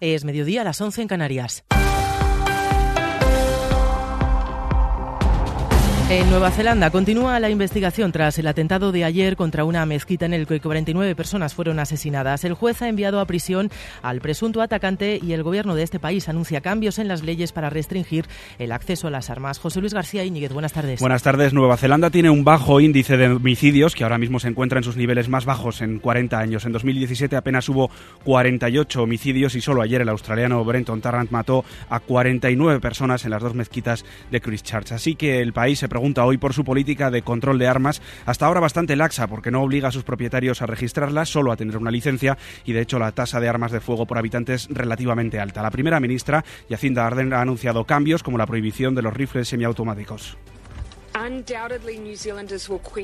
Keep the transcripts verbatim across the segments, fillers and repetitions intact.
Es mediodía, a las once en Canarias. En Nueva Zelanda continúa la investigación tras el atentado de ayer contra una mezquita en el que cuarenta y nueve personas fueron asesinadas. El juez ha enviado a prisión al presunto atacante y el gobierno de este país anuncia cambios en las leyes para restringir el acceso a las armas. José Luis García Íñiguez, buenas tardes. Buenas tardes. Nueva Zelanda tiene un bajo índice de homicidios que ahora mismo se encuentra en sus niveles más bajos en cuarenta años. En dos mil diecisiete apenas hubo cuarenta y ocho homicidios y solo ayer el australiano Brenton Tarrant mató a cuarenta y nueve personas en las dos mezquitas de Christchurch. Así que el país se pregunta hoy por su política de control de armas, hasta ahora bastante laxa porque no obliga a sus propietarios a registrarlas, solo a tener una licencia, y de hecho la tasa de armas de fuego por habitante es relativamente alta. La primera ministra, Jacinda Ardern, ha anunciado cambios como la prohibición de los rifles semiautomáticos.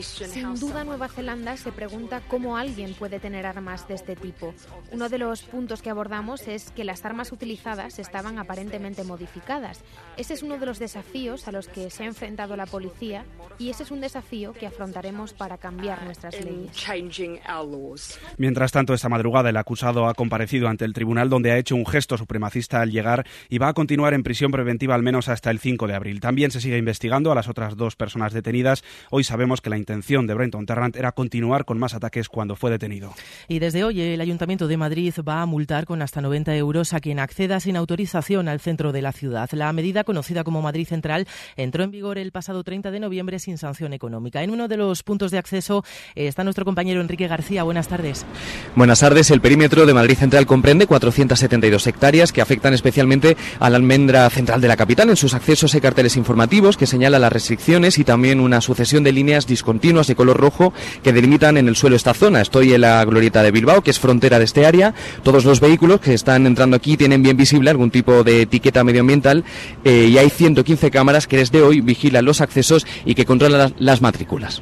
Sin duda, Nueva Zelanda se pregunta cómo alguien puede tener armas de este tipo. Uno de los puntos que abordamos es que las armas utilizadas estaban aparentemente modificadas. Ese es uno de los desafíos a los que se ha enfrentado la policía y ese es un desafío que afrontaremos para cambiar nuestras leyes. Mientras tanto, esta madrugada el acusado ha comparecido ante el tribunal, donde ha hecho un gesto supremacista al llegar y va a continuar en prisión preventiva al menos hasta el cinco de abril. También se sigue investigando a las otras dos personas detenidas. Hoy sabemos que la intención de Brenton Tarrant era continuar con más ataques cuando fue detenido. Y desde hoy el Ayuntamiento de Madrid va a multar con hasta noventa euros a quien acceda sin autorización al centro de la ciudad. La medida, conocida como Madrid Central, entró en vigor el pasado treinta de noviembre sin sanción económica. En uno de los puntos de acceso está nuestro compañero Enrique García. Buenas tardes. Buenas tardes. El perímetro de Madrid Central comprende cuatrocientas setenta y dos hectáreas que afectan especialmente a la almendra central de la capital. En sus accesos hay carteles informativos que señalan las restricciones y también una sucesión de líneas discontinuas de color rojo que delimitan en el suelo esta zona. Estoy en la glorieta de Bilbao, que es frontera de este área. Todos los vehículos que están entrando aquí tienen bien visible algún tipo de etiqueta medioambiental eh, y hay ciento quince cámaras que desde hoy vigilan los accesos y que controlan las, las matrículas.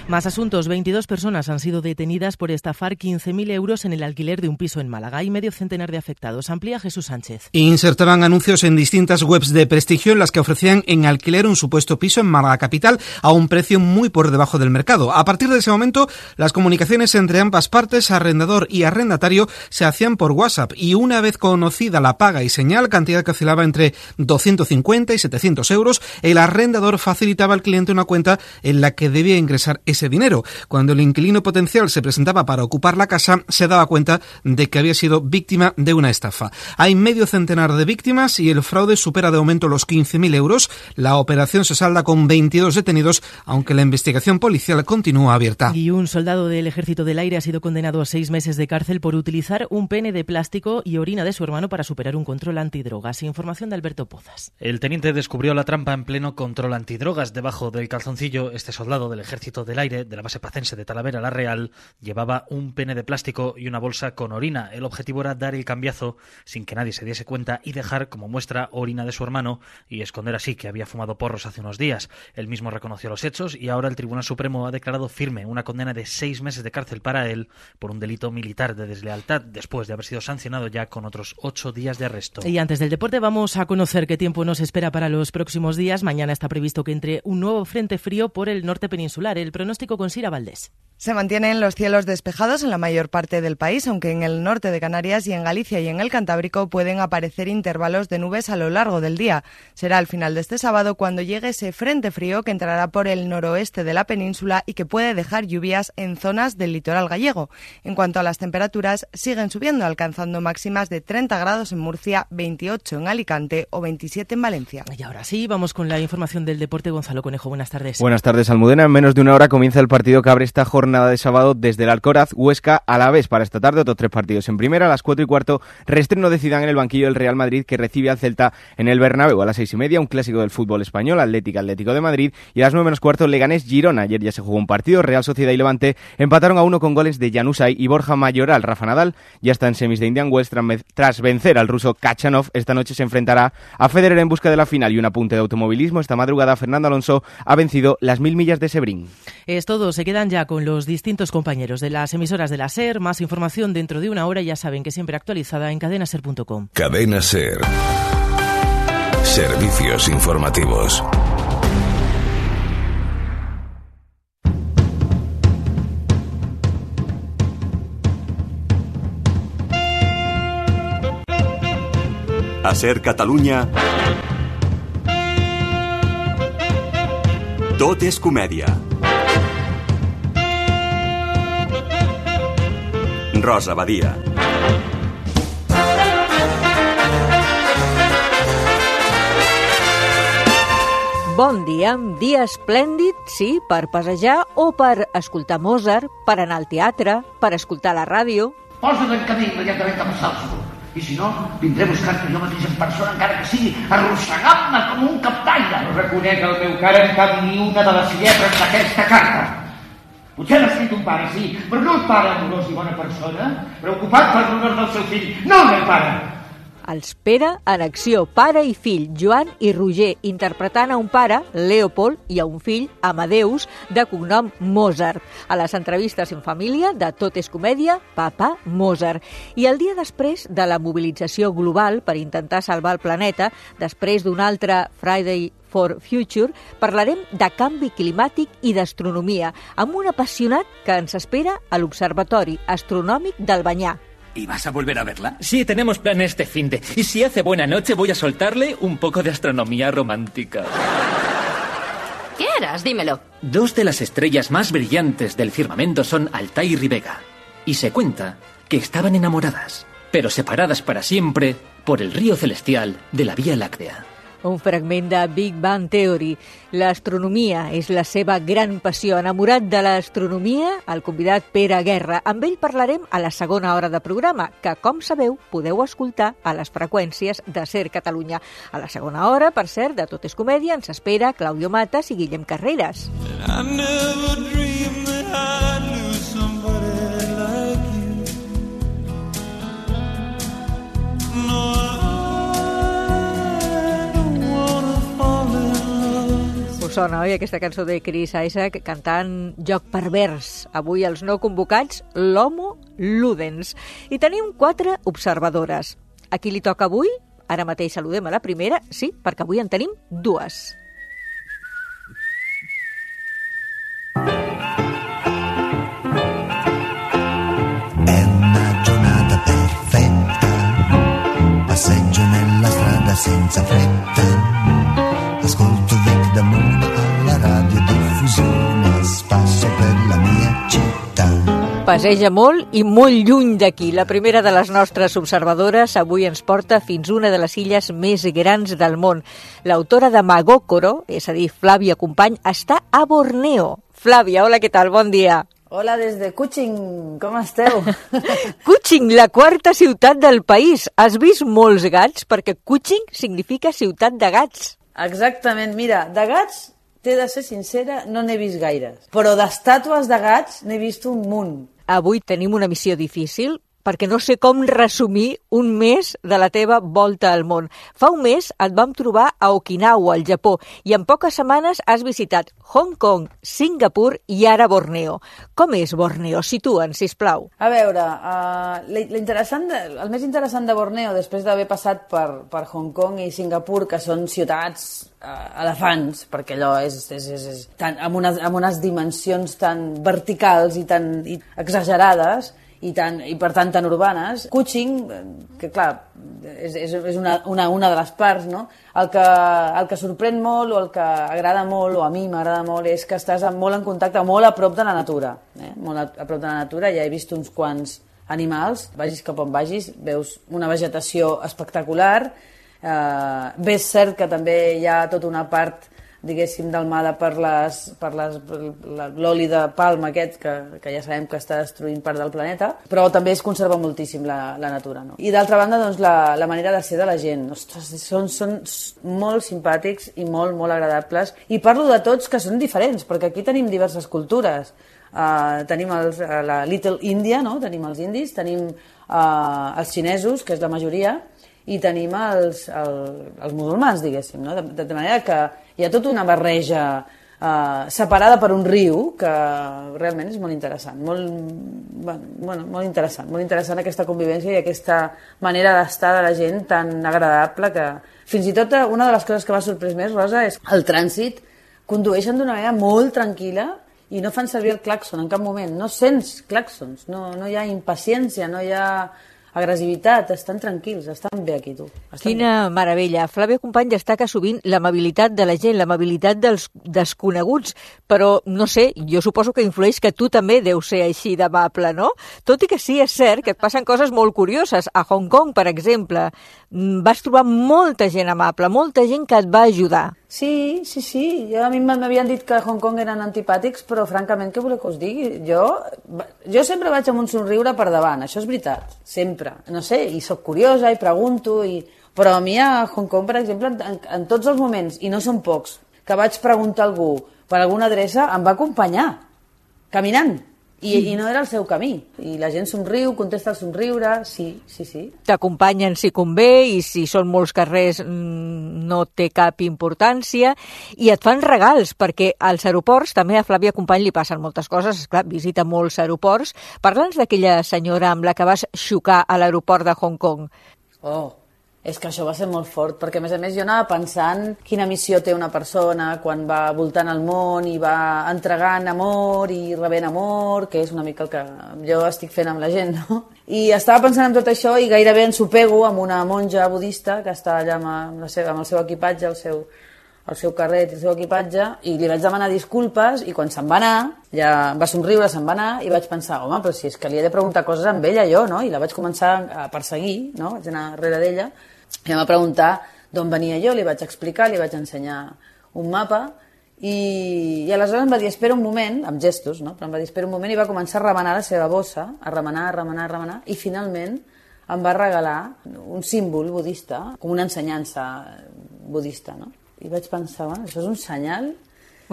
Más asuntos. veintidós personas han sido detenidas por estafar quince mil euros en el alquiler de un piso en Málaga. Hay medio centenar de afectados. Amplía Jesús Sánchez. Insertaban anuncios en distintas webs de prestigio en las que ofrecían en alquiler un supuesto piso en Málaga capital a un precio muy por debajo del mercado. A partir de ese momento, las comunicaciones entre ambas partes, arrendador y arrendatario, se hacían por WhatsApp y una vez conocida la paga y señal, cantidad que oscilaba entre doscientos cincuenta y setecientos euros, el arrendador facilitaba al cliente una cuenta en la que debía ingresar ese dinero. Cuando el inquilino potencial se presentaba para ocupar la casa, se daba cuenta de que había sido víctima de una estafa. Hay medio centenar de víctimas y el fraude supera de momento los quince mil euros. La operación se salda con veintidós detenidos, aunque la investigación policial continúa abierta. Y un soldado del Ejército del Aire ha sido condenado a seis meses de cárcel por utilizar un pene de plástico y orina de su hermano para superar un control antidrogas. Información de Alberto Pozas. El teniente descubrió la trampa en pleno control antidrogas. Debajo del calzoncillo, este soldado del Ejército del Aire de la base pacense de Talavera la Real llevaba un pene de plástico y una bolsa con orina. El objetivo era dar el cambiazo sin que nadie se diese cuenta y dejar como muestra orina de su hermano y esconder así que había fumado porros hace unos días. Él mismo reconoció los hechos y ahora el Tribunal Supremo ha declarado firme una condena de seis meses de cárcel para él por un delito militar de deslealtad después de haber sido sancionado ya con otros ocho días de arresto. Y antes del deporte vamos a conocer qué tiempo nos espera para los próximos días. Mañana está previsto que entre un nuevo frente frío por el norte peninsular. El pronóstico con Sira Valdés. Se mantienen los cielos despejados en la mayor parte del país, aunque en el norte de Canarias y en Galicia y en el Cantábrico pueden aparecer intervalos de nubes a lo largo del día. Será al final de este sábado cuando llegue ese frente frío que entrará por el noroeste de la península y que puede dejar lluvias en zonas del litoral gallego. En cuanto a las temperaturas, siguen subiendo, alcanzando máximas de treinta grados en Murcia, veintiocho en Alicante o veintisiete en Valencia. Y ahora sí, vamos con la información del deporte. Gonzalo Conejo, buenas tardes. Buenas tardes, Almudena. En menos de una hora comienza el partido que abre esta jornada de sábado desde el Alcoraz, Huesca, Alavés. Para esta tarde otros tres partidos. En primera, a las cuatro y cuarto, reestreno de Zidane en el banquillo del Real Madrid, que recibe al Celta en el Bernabéu. A las seis y media, un clásico del fútbol español, Atlético Atlético de Madrid. Y a las nueve menos cuarto, Leganés Girona. Ayer ya se jugó un partido, Real Sociedad y Levante empataron a uno con goles de Januzaj y Borja Mayoral. Rafa Nadal ya está en semis de Indian Wells tras vencer al ruso Kachanov. Esta noche se enfrentará a Federer en busca de la final. Y un apunte de automovilismo: esta madrugada Fernando Alonso ha vencido las mil millas de Sebring. Es todo, se quedan ya con los distintos compañeros de las emisoras de la SER. Más información dentro de una hora, ya saben que siempre actualizada en cadena ser punto com. Cadena SER. Servicios informativos. A Ser Catalunya, tot és comèdia. Rosa Badia. Bon dia, un dia esplèndid, sí, per passejar o per escoltar Mozart, per anar al teatre, per escoltar la ràdio. Posa't en camí immediatament cap a Salzburg. I si no, vindré a buscar-te jo mateix en persona, encara que sigui arrossegant-me com un captaire. No reconec el meu cara en cap ni una de les lletres d'aquesta carta. Potser l'ha escrit un pare, sí, però no el pare amorós i bona persona, preocupat per l'honor del seu fill, no el meu pare. Els Pere en acció, pare i fill, Joan i Roger, interpretant a un pare, Leopold, i a un fill, Amadeus, de cognom Mozart. A les entrevistes en família de Tot és comèdia, Papa Mozart. I el dia després de la mobilització global per intentar salvar el planeta, després d'un altre Friday for Future, parlarem de canvi climàtic i d'astronomia, amb un apassionat que ens espera a l'Observatori Astronòmic d'Albanyà. ¿Y vas a volver a verla? Sí, tenemos planes este finde. Y si hace buena noche voy a soltarle un poco de astronomía romántica. ¿Qué harás? Dímelo. Dos de las estrellas más brillantes del firmamento son Altair y Vega. Y se cuenta que estaban enamoradas, pero separadas para siempre por el río celestial de la Vía Láctea. Un fragment de Big Bang Theory. L'astronomia és la seva gran passió. Enamorat de l'astronomia, el convidat Pere Guerra. Amb ell parlarem a la segona hora de programa, que, com sabeu, podeu escoltar a les freqüències de Ser Catalunya. A la segona hora, per cert, de Tot és comèdia, ens espera Claudio Matas i Guillem Carreras. Sona, oi, aquesta cançó de Chris Isaak cantant Joc pervers. Avui els no convocats, l'Homo Ludens. I tenim quatre observadores. A qui li toca avui? Ara mateix saludem a la primera, sí, perquè avui en tenim dues. È una giornata perfetta, passeggio nella strada senza fretta, ascolto Vic Damone alla radiodiffusione, spasso per la mia città. Passeja molt i molt lluny d'aquí. La primera de les nostres observadores avui ens porta fins una de les illes més grans del món. L'autora de Magokoro, és a dir, Flàvia Company, està a Borneo. Flàvia, hola, què tal? Bon dia. Hola, des de Kuching, com esteu? Kuching, la quarta ciutat del país. Has vist molts gats? Perquè Kuching significa ciutat de gats. Exactament, mira, de gats, t'he de ser sincera, no n'he vist gaires. Però d'estàtues de gats n'he vist un munt. Avui tenim una missió difícil, perquè no sé com resumir un mes de la teva volta al món. Fa un mes et vam trobar a Okinawa, al Japó, i en poques setmanes has visitat Hong Kong, Singapur i ara Borneo. Com és Borneo? Situa'ns, sisplau. A veure, uh, l'interessant de, el més interessant de Borneo, després d'haver passat per, per Hong Kong i Singapur, que són ciutats uh, elefants, perquè allò és, és, és, és tan, amb, unes, amb unes dimensions tan verticals i tan i exagerades, i, tan, i per tant tan urbanes. Kuching, que clar, és, és una, una, una de les parts, no? El que, el que sorprèn molt o el que agrada molt, o a mi m'agrada molt, és que estàs molt en contacte, molt a prop de la natura. Eh? Molt a, a prop de la natura, ja he vist uns quants animals, vagis cap on vagis, veus una vegetació espectacular, eh, bé és cert que també hi ha tota una part diguéssim, delmada per les, per les, l'oli de palma aquest, que, que ja sabem que està destruint part del planeta, però també es conserva moltíssim la, la natura. No? I d'altra banda, doncs, la, la manera de ser de la gent. Ostres, són, són molt simpàtics i molt, molt agradables. I parlo de tots que són diferents, perquè aquí tenim diverses cultures. Uh, tenim els, uh, la Little India, no? Tenim els indis, tenim uh, els xinesos, que és la majoria, i tenim els, el, els musulmans, diguéssim, no? de, de manera que hi ha tota una barreja eh, separada per un riu que realment és molt interessant, molt, bueno, molt interessant, molt interessant aquesta convivència i aquesta manera d'estar de la gent tan agradable que fins i tot una de les coses que m'ha sorprès més, Rosa, és el trànsit. Condueixen d'una manera molt tranquil·la i no fan servir el clàxon en cap moment, no sents clàxons, no, no hi ha impaciència, no hi ha agressivitat, estan tranquils, estan bé aquí, tu. Estan Quina bé. meravella. Flàvia Company destaca sovint l'amabilitat de la gent, l'amabilitat dels desconeguts, però, no sé, jo suposo que influeix que tu també deus ser així d'amable, no? Tot i que sí, és cert que et passen coses molt curioses. A Hong Kong, per exemple, vas trobar molta gent amable, molta gent que et va ajudar. Sí, sí, sí. Jo, a mi m'havien dit que a Hong Kong eren antipàtics, però francament, què voleu que us digui? Jo, jo sempre vaig amb un somriure per davant, això és veritat, sempre. No sé, i sóc curiosa i pregunto, i... però a mi a Hong Kong, per exemple, en, en tots els moments, i no són pocs, que vaig preguntar a algú per alguna adreça, em va acompanyar, caminant. I, I no era el seu camí. I la gent somriu, contesta el somriure, sí, sí, sí. T'acompanyen si convé i si són molts carrers no té cap importància. I et fan regals, perquè als aeroports, també a Flàvia Company li passen moltes coses, esclar, visita molts aeroports. Parla'ns d'aquella senyora amb la que vas xocar a l'aeroport de Hong Kong. Oh, és que això va ser molt fort, perquè a més a més jo anava pensant quina missió té una persona quan va voltant el món i va entregant amor i rebent amor, que és una mica el que jo estic fent amb la gent, no? I estava pensant en tot això i gairebé ensopego amb una monja budista que està allà amb, la seva, amb el seu equipatge, el seu, el seu carret i el seu equipatge, i li vaig demanar disculpes i quan se'n va anar, ja va somriure, se'n va anar, i vaig pensar, home, però si és que li he de preguntar coses amb ella jo, no? I la vaig començar a perseguir, no? Vaig anar darrere d'ella, i em va preguntar d'on venia jo, li vaig explicar, li vaig ensenyar un mapa, i, i aleshores em va dir, espera un moment, amb gestos, no? Però em va dir, espera un moment, i va començar a remenar la seva bossa, a remenar, a remenar, a remenar, i finalment em va regalar un símbol budista, com una ensenyança budista, no? I vaig pensar, bueno, això és un senyal...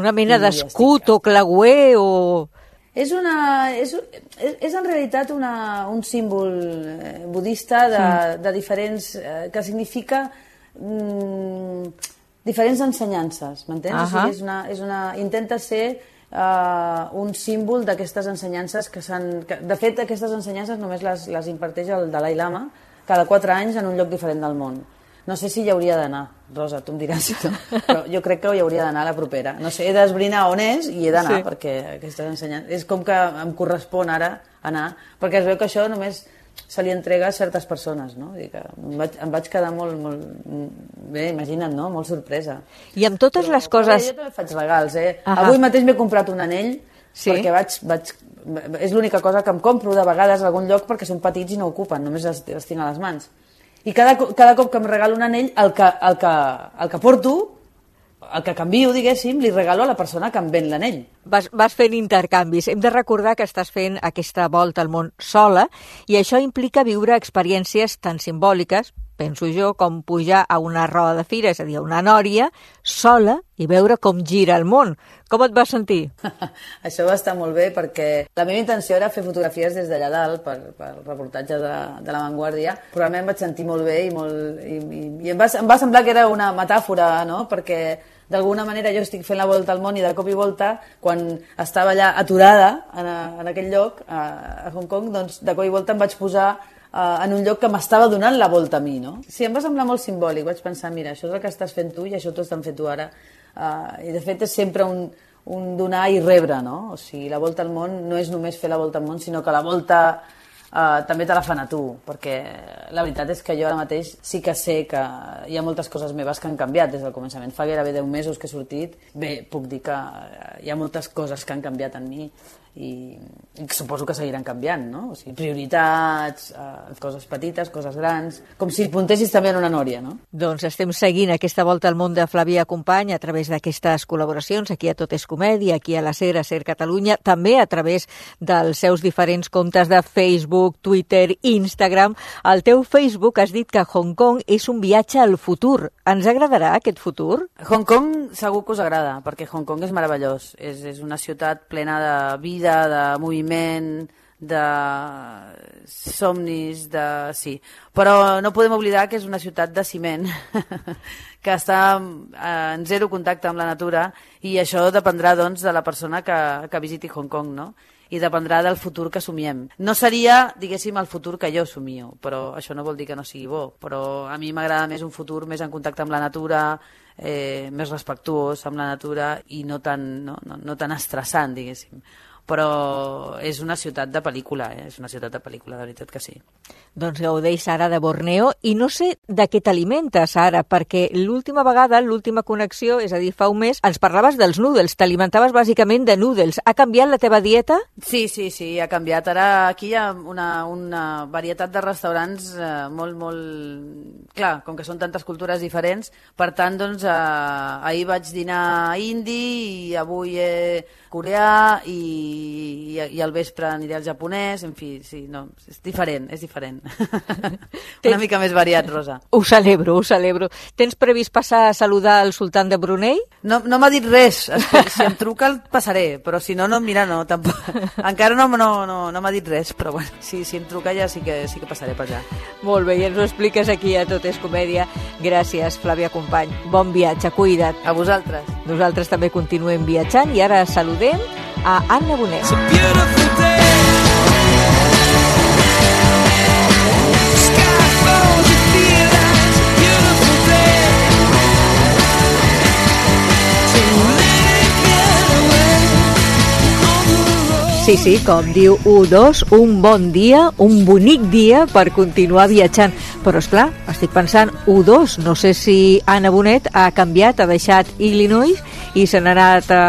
Una mena d'escut o clauer o... És, una, és, és, és en realitat una, un símbol budista de, sí. de diferents... que significa mm, diferents ensenyances, m'entens? Uh -huh. O sigui, és una, és una, intenta ser uh, un símbol d'aquestes ensenyances que s'han... De fet, aquestes ensenyances només les, les imparteix el Dalai Lama cada quatre anys en un lloc diferent del món. No sé si hi hauria d'anar, Rosa, tu em diràs, no? Però jo crec que hi hauria d'anar a la propera. No sé, he d'esbrinar on és i he d'anar, sí. perquè aquestes ensenyances... És com que em correspon ara anar, perquè es veu que això només se li entrega a certes persones, no? Vull dir que em vaig, em vaig quedar molt, molt... Bé, imagina't, no? Molt sorpresa. I amb totes Però, les coses... Jo també faig regals, eh? Ahà. Avui mateix m'he comprat un anell, sí. perquè vaig... vaig és l'única cosa que em compro de vegades a algun lloc perquè són petits i no ocupen, només els, els tinc a les mans. I cada, cada cop que em regalo un anell, el que, el, que, el que porto, el que canvio, diguéssim, li regalo a la persona que em ven l'anell. Vas, vas fent intercanvis. Hem de recordar que estàs fent aquesta volta al món sola i això implica viure experiències tan simbòliques, penso jo, com pujar a una roda de fira, és a dir, a una nòria, sola i veure com gira el món. Com et vas sentir? Això va estar molt bé perquè la meva intenció era fer fotografies des d'allà dalt per, per reportatge de, de La Vanguardia, però a mi em vaig sentir molt bé i, molt, i, i, i em, va, em va semblar que era una metàfora, no? Perquè d'alguna manera jo estic fent la volta al món i de cop i volta, quan estava allà aturada en, a, en aquell lloc, a, a Hong Kong, doncs de cop i volta em vaig posar uh, en un lloc que m'estava donant la volta a mi, no? Sí, em va semblar molt simbòlic, vaig pensar, mira, això és el que estàs fent tu i això t'ho estan fent tu ara. Uh, I de fet és sempre un, un donar i rebre, no? O sigui, la volta al món no és només fer la volta al món, sinó que la volta uh, també te la fan a tu, perquè la veritat és que jo ara mateix sí que sé que hi ha moltes coses meves que han canviat des del començament. Fa gairebé deu mesos que he sortit, bé, puc dir que hi ha moltes coses que han canviat en mi i, i suposo que seguiran canviant, no? O sigui, prioritats, eh, coses petites, coses grans, com si puntessis també en una nòria, no? Doncs estem seguint aquesta volta al món de Flàvia Company a través d'aquestes col·laboracions, aquí a Tot és Comèdia, aquí a la SER, a SER Catalunya, també a través dels seus diferents comptes de Facebook, Twitter, Instagram. Al teu Facebook has dit que Hong Kong és un viatge al futur. Ens agradarà aquest futur? Hong Kong segur que us agrada, perquè Hong Kong és meravellós. És, és una ciutat plena de vida, de moviment, de somnis, de... sí. Però no podem oblidar que és una ciutat de ciment, que està en zero contacte amb la natura, i això dependrà, doncs, de la persona que, que visiti Hong Kong, no? I dependrà del futur que somiem. No seria, diguéssim, el futur que jo somio, però això no vol dir que no sigui bo. Però a mi m'agrada més un futur més en contacte amb la natura, eh, més respectuós amb la natura i no tan, no, no, no tan estressant, diguéssim. però és una ciutat de pel·lícula, eh? És una ciutat de pel·lícula, de veritat que sí. Doncs gaudeix, Sara, de Borneo, i no sé de què t'alimentes, Sara, perquè l'última vegada, l'última connexió, és a dir, fa un mes, ens parlaves dels noodles, t'alimentaves bàsicament de noodles. Ha canviat la teva dieta? Sí, sí, sí, ha canviat. Ara aquí hi ha una, una varietat de restaurants eh, molt, molt... Clar, com que són tantes cultures diferents, per tant, doncs, eh, ahir vaig dinar indi i avui eh, coreà i, i, i al vespre aniré al japonès, en fi, sí, no, és diferent, és diferent. Una mica més variat, Rosa. Ho celebro, ho celebro. Tens previst passar a saludar el sultán de Brunei? No, no m'ha dit res. Si em truca el passaré, però si no, no, mira, no, tampoc. Encara no, no, no, no m'ha dit res, però bueno, si, si em truca ja sí que, sí que passaré per allà. Molt bé, i ens ho expliques aquí a Tot és Comèdia. Gràcies, Flàvia Company. Bon viatge, cuida't. A vosaltres. Nosaltres també continuem viatjant i ara saludem a Anna Bonet. Sí, sí, com diu U dos, un bon dia, un bonic dia per continuar viatjant. Però, esclar, estic pensant, U dos, no sé si Anna Bonet ha canviat, ha deixat Illinois i se n'ha anat a...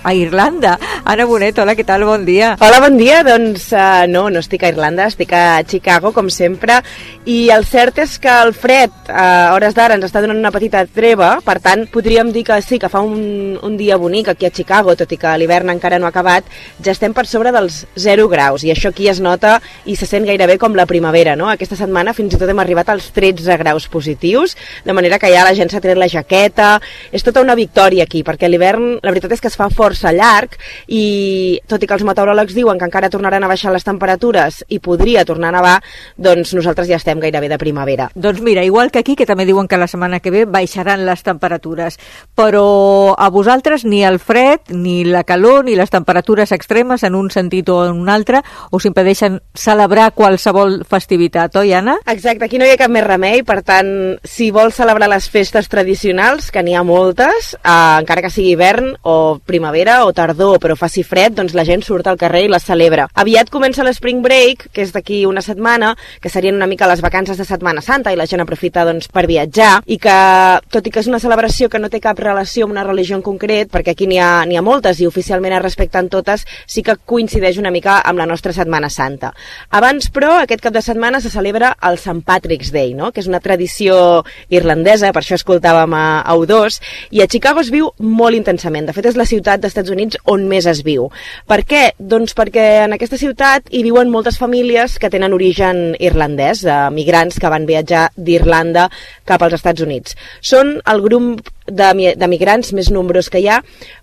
a Irlanda. Anna Bonet, hola, què tal? Bon dia. Hola, bon dia. Doncs uh, no, no estic a Irlanda, estic a Chicago, com sempre, i el cert és que el fred a hores d'ara ens està donant una petita treva, per tant, podríem dir que sí, que fa un, un dia bonic aquí a Chicago, tot i que l'hivern encara no ha acabat, ja estem per sobre dels zero graus, i això aquí es nota i se sent gairebé com la primavera, no? Aquesta setmana fins i tot hem arribat als tretze graus positius, de manera que ja la gent s'ha tret la jaqueta, és tota una victòria aquí, perquè l'hivern, la veritat és que es fa fort força llarg i tot i que els meteoròlegs diuen que encara tornaran a baixar les temperatures i podria tornar a nevar, doncs nosaltres ja estem gairebé de primavera. Doncs mira, igual que aquí, que també diuen que la setmana que ve baixaran les temperatures, però a vosaltres ni el fred, ni la calor, ni les temperatures extremes en un sentit o en un altre us impedeixen celebrar qualsevol festivitat, oi, Anna? Exacte, aquí no hi ha cap més remei, per tant, si vols celebrar les festes tradicionals, que n'hi ha moltes, eh, encara que sigui hivern o primavera, o tardor, però faci fred, doncs la gent surt al carrer i les celebra. Aviat comença l'Spring Break, que és d'aquí una setmana, que serien una mica les vacances de Setmana Santa, i la gent aprofita doncs, per viatjar, i que, tot i que és una celebració que no té cap relació amb una religió en concret, perquè aquí n'hi ha, n'hi ha moltes i oficialment es respecten totes, sí que coincideix una mica amb la nostra Setmana Santa. Abans, però, aquest cap de setmana se celebra el Saint Patrick's Day, no? Que és una tradició irlandesa, per això escoltàvem a, a U dos, i a Chicago es viu molt intensament. De fet, és la ciutat dels Estats Units on més es viu. Per què? Doncs perquè en aquesta ciutat hi viuen moltes famílies que tenen origen irlandès, de migrants que van viatjar d'Irlanda cap als Estats Units. Són el grup de, de migrants més nombrós que hi ha,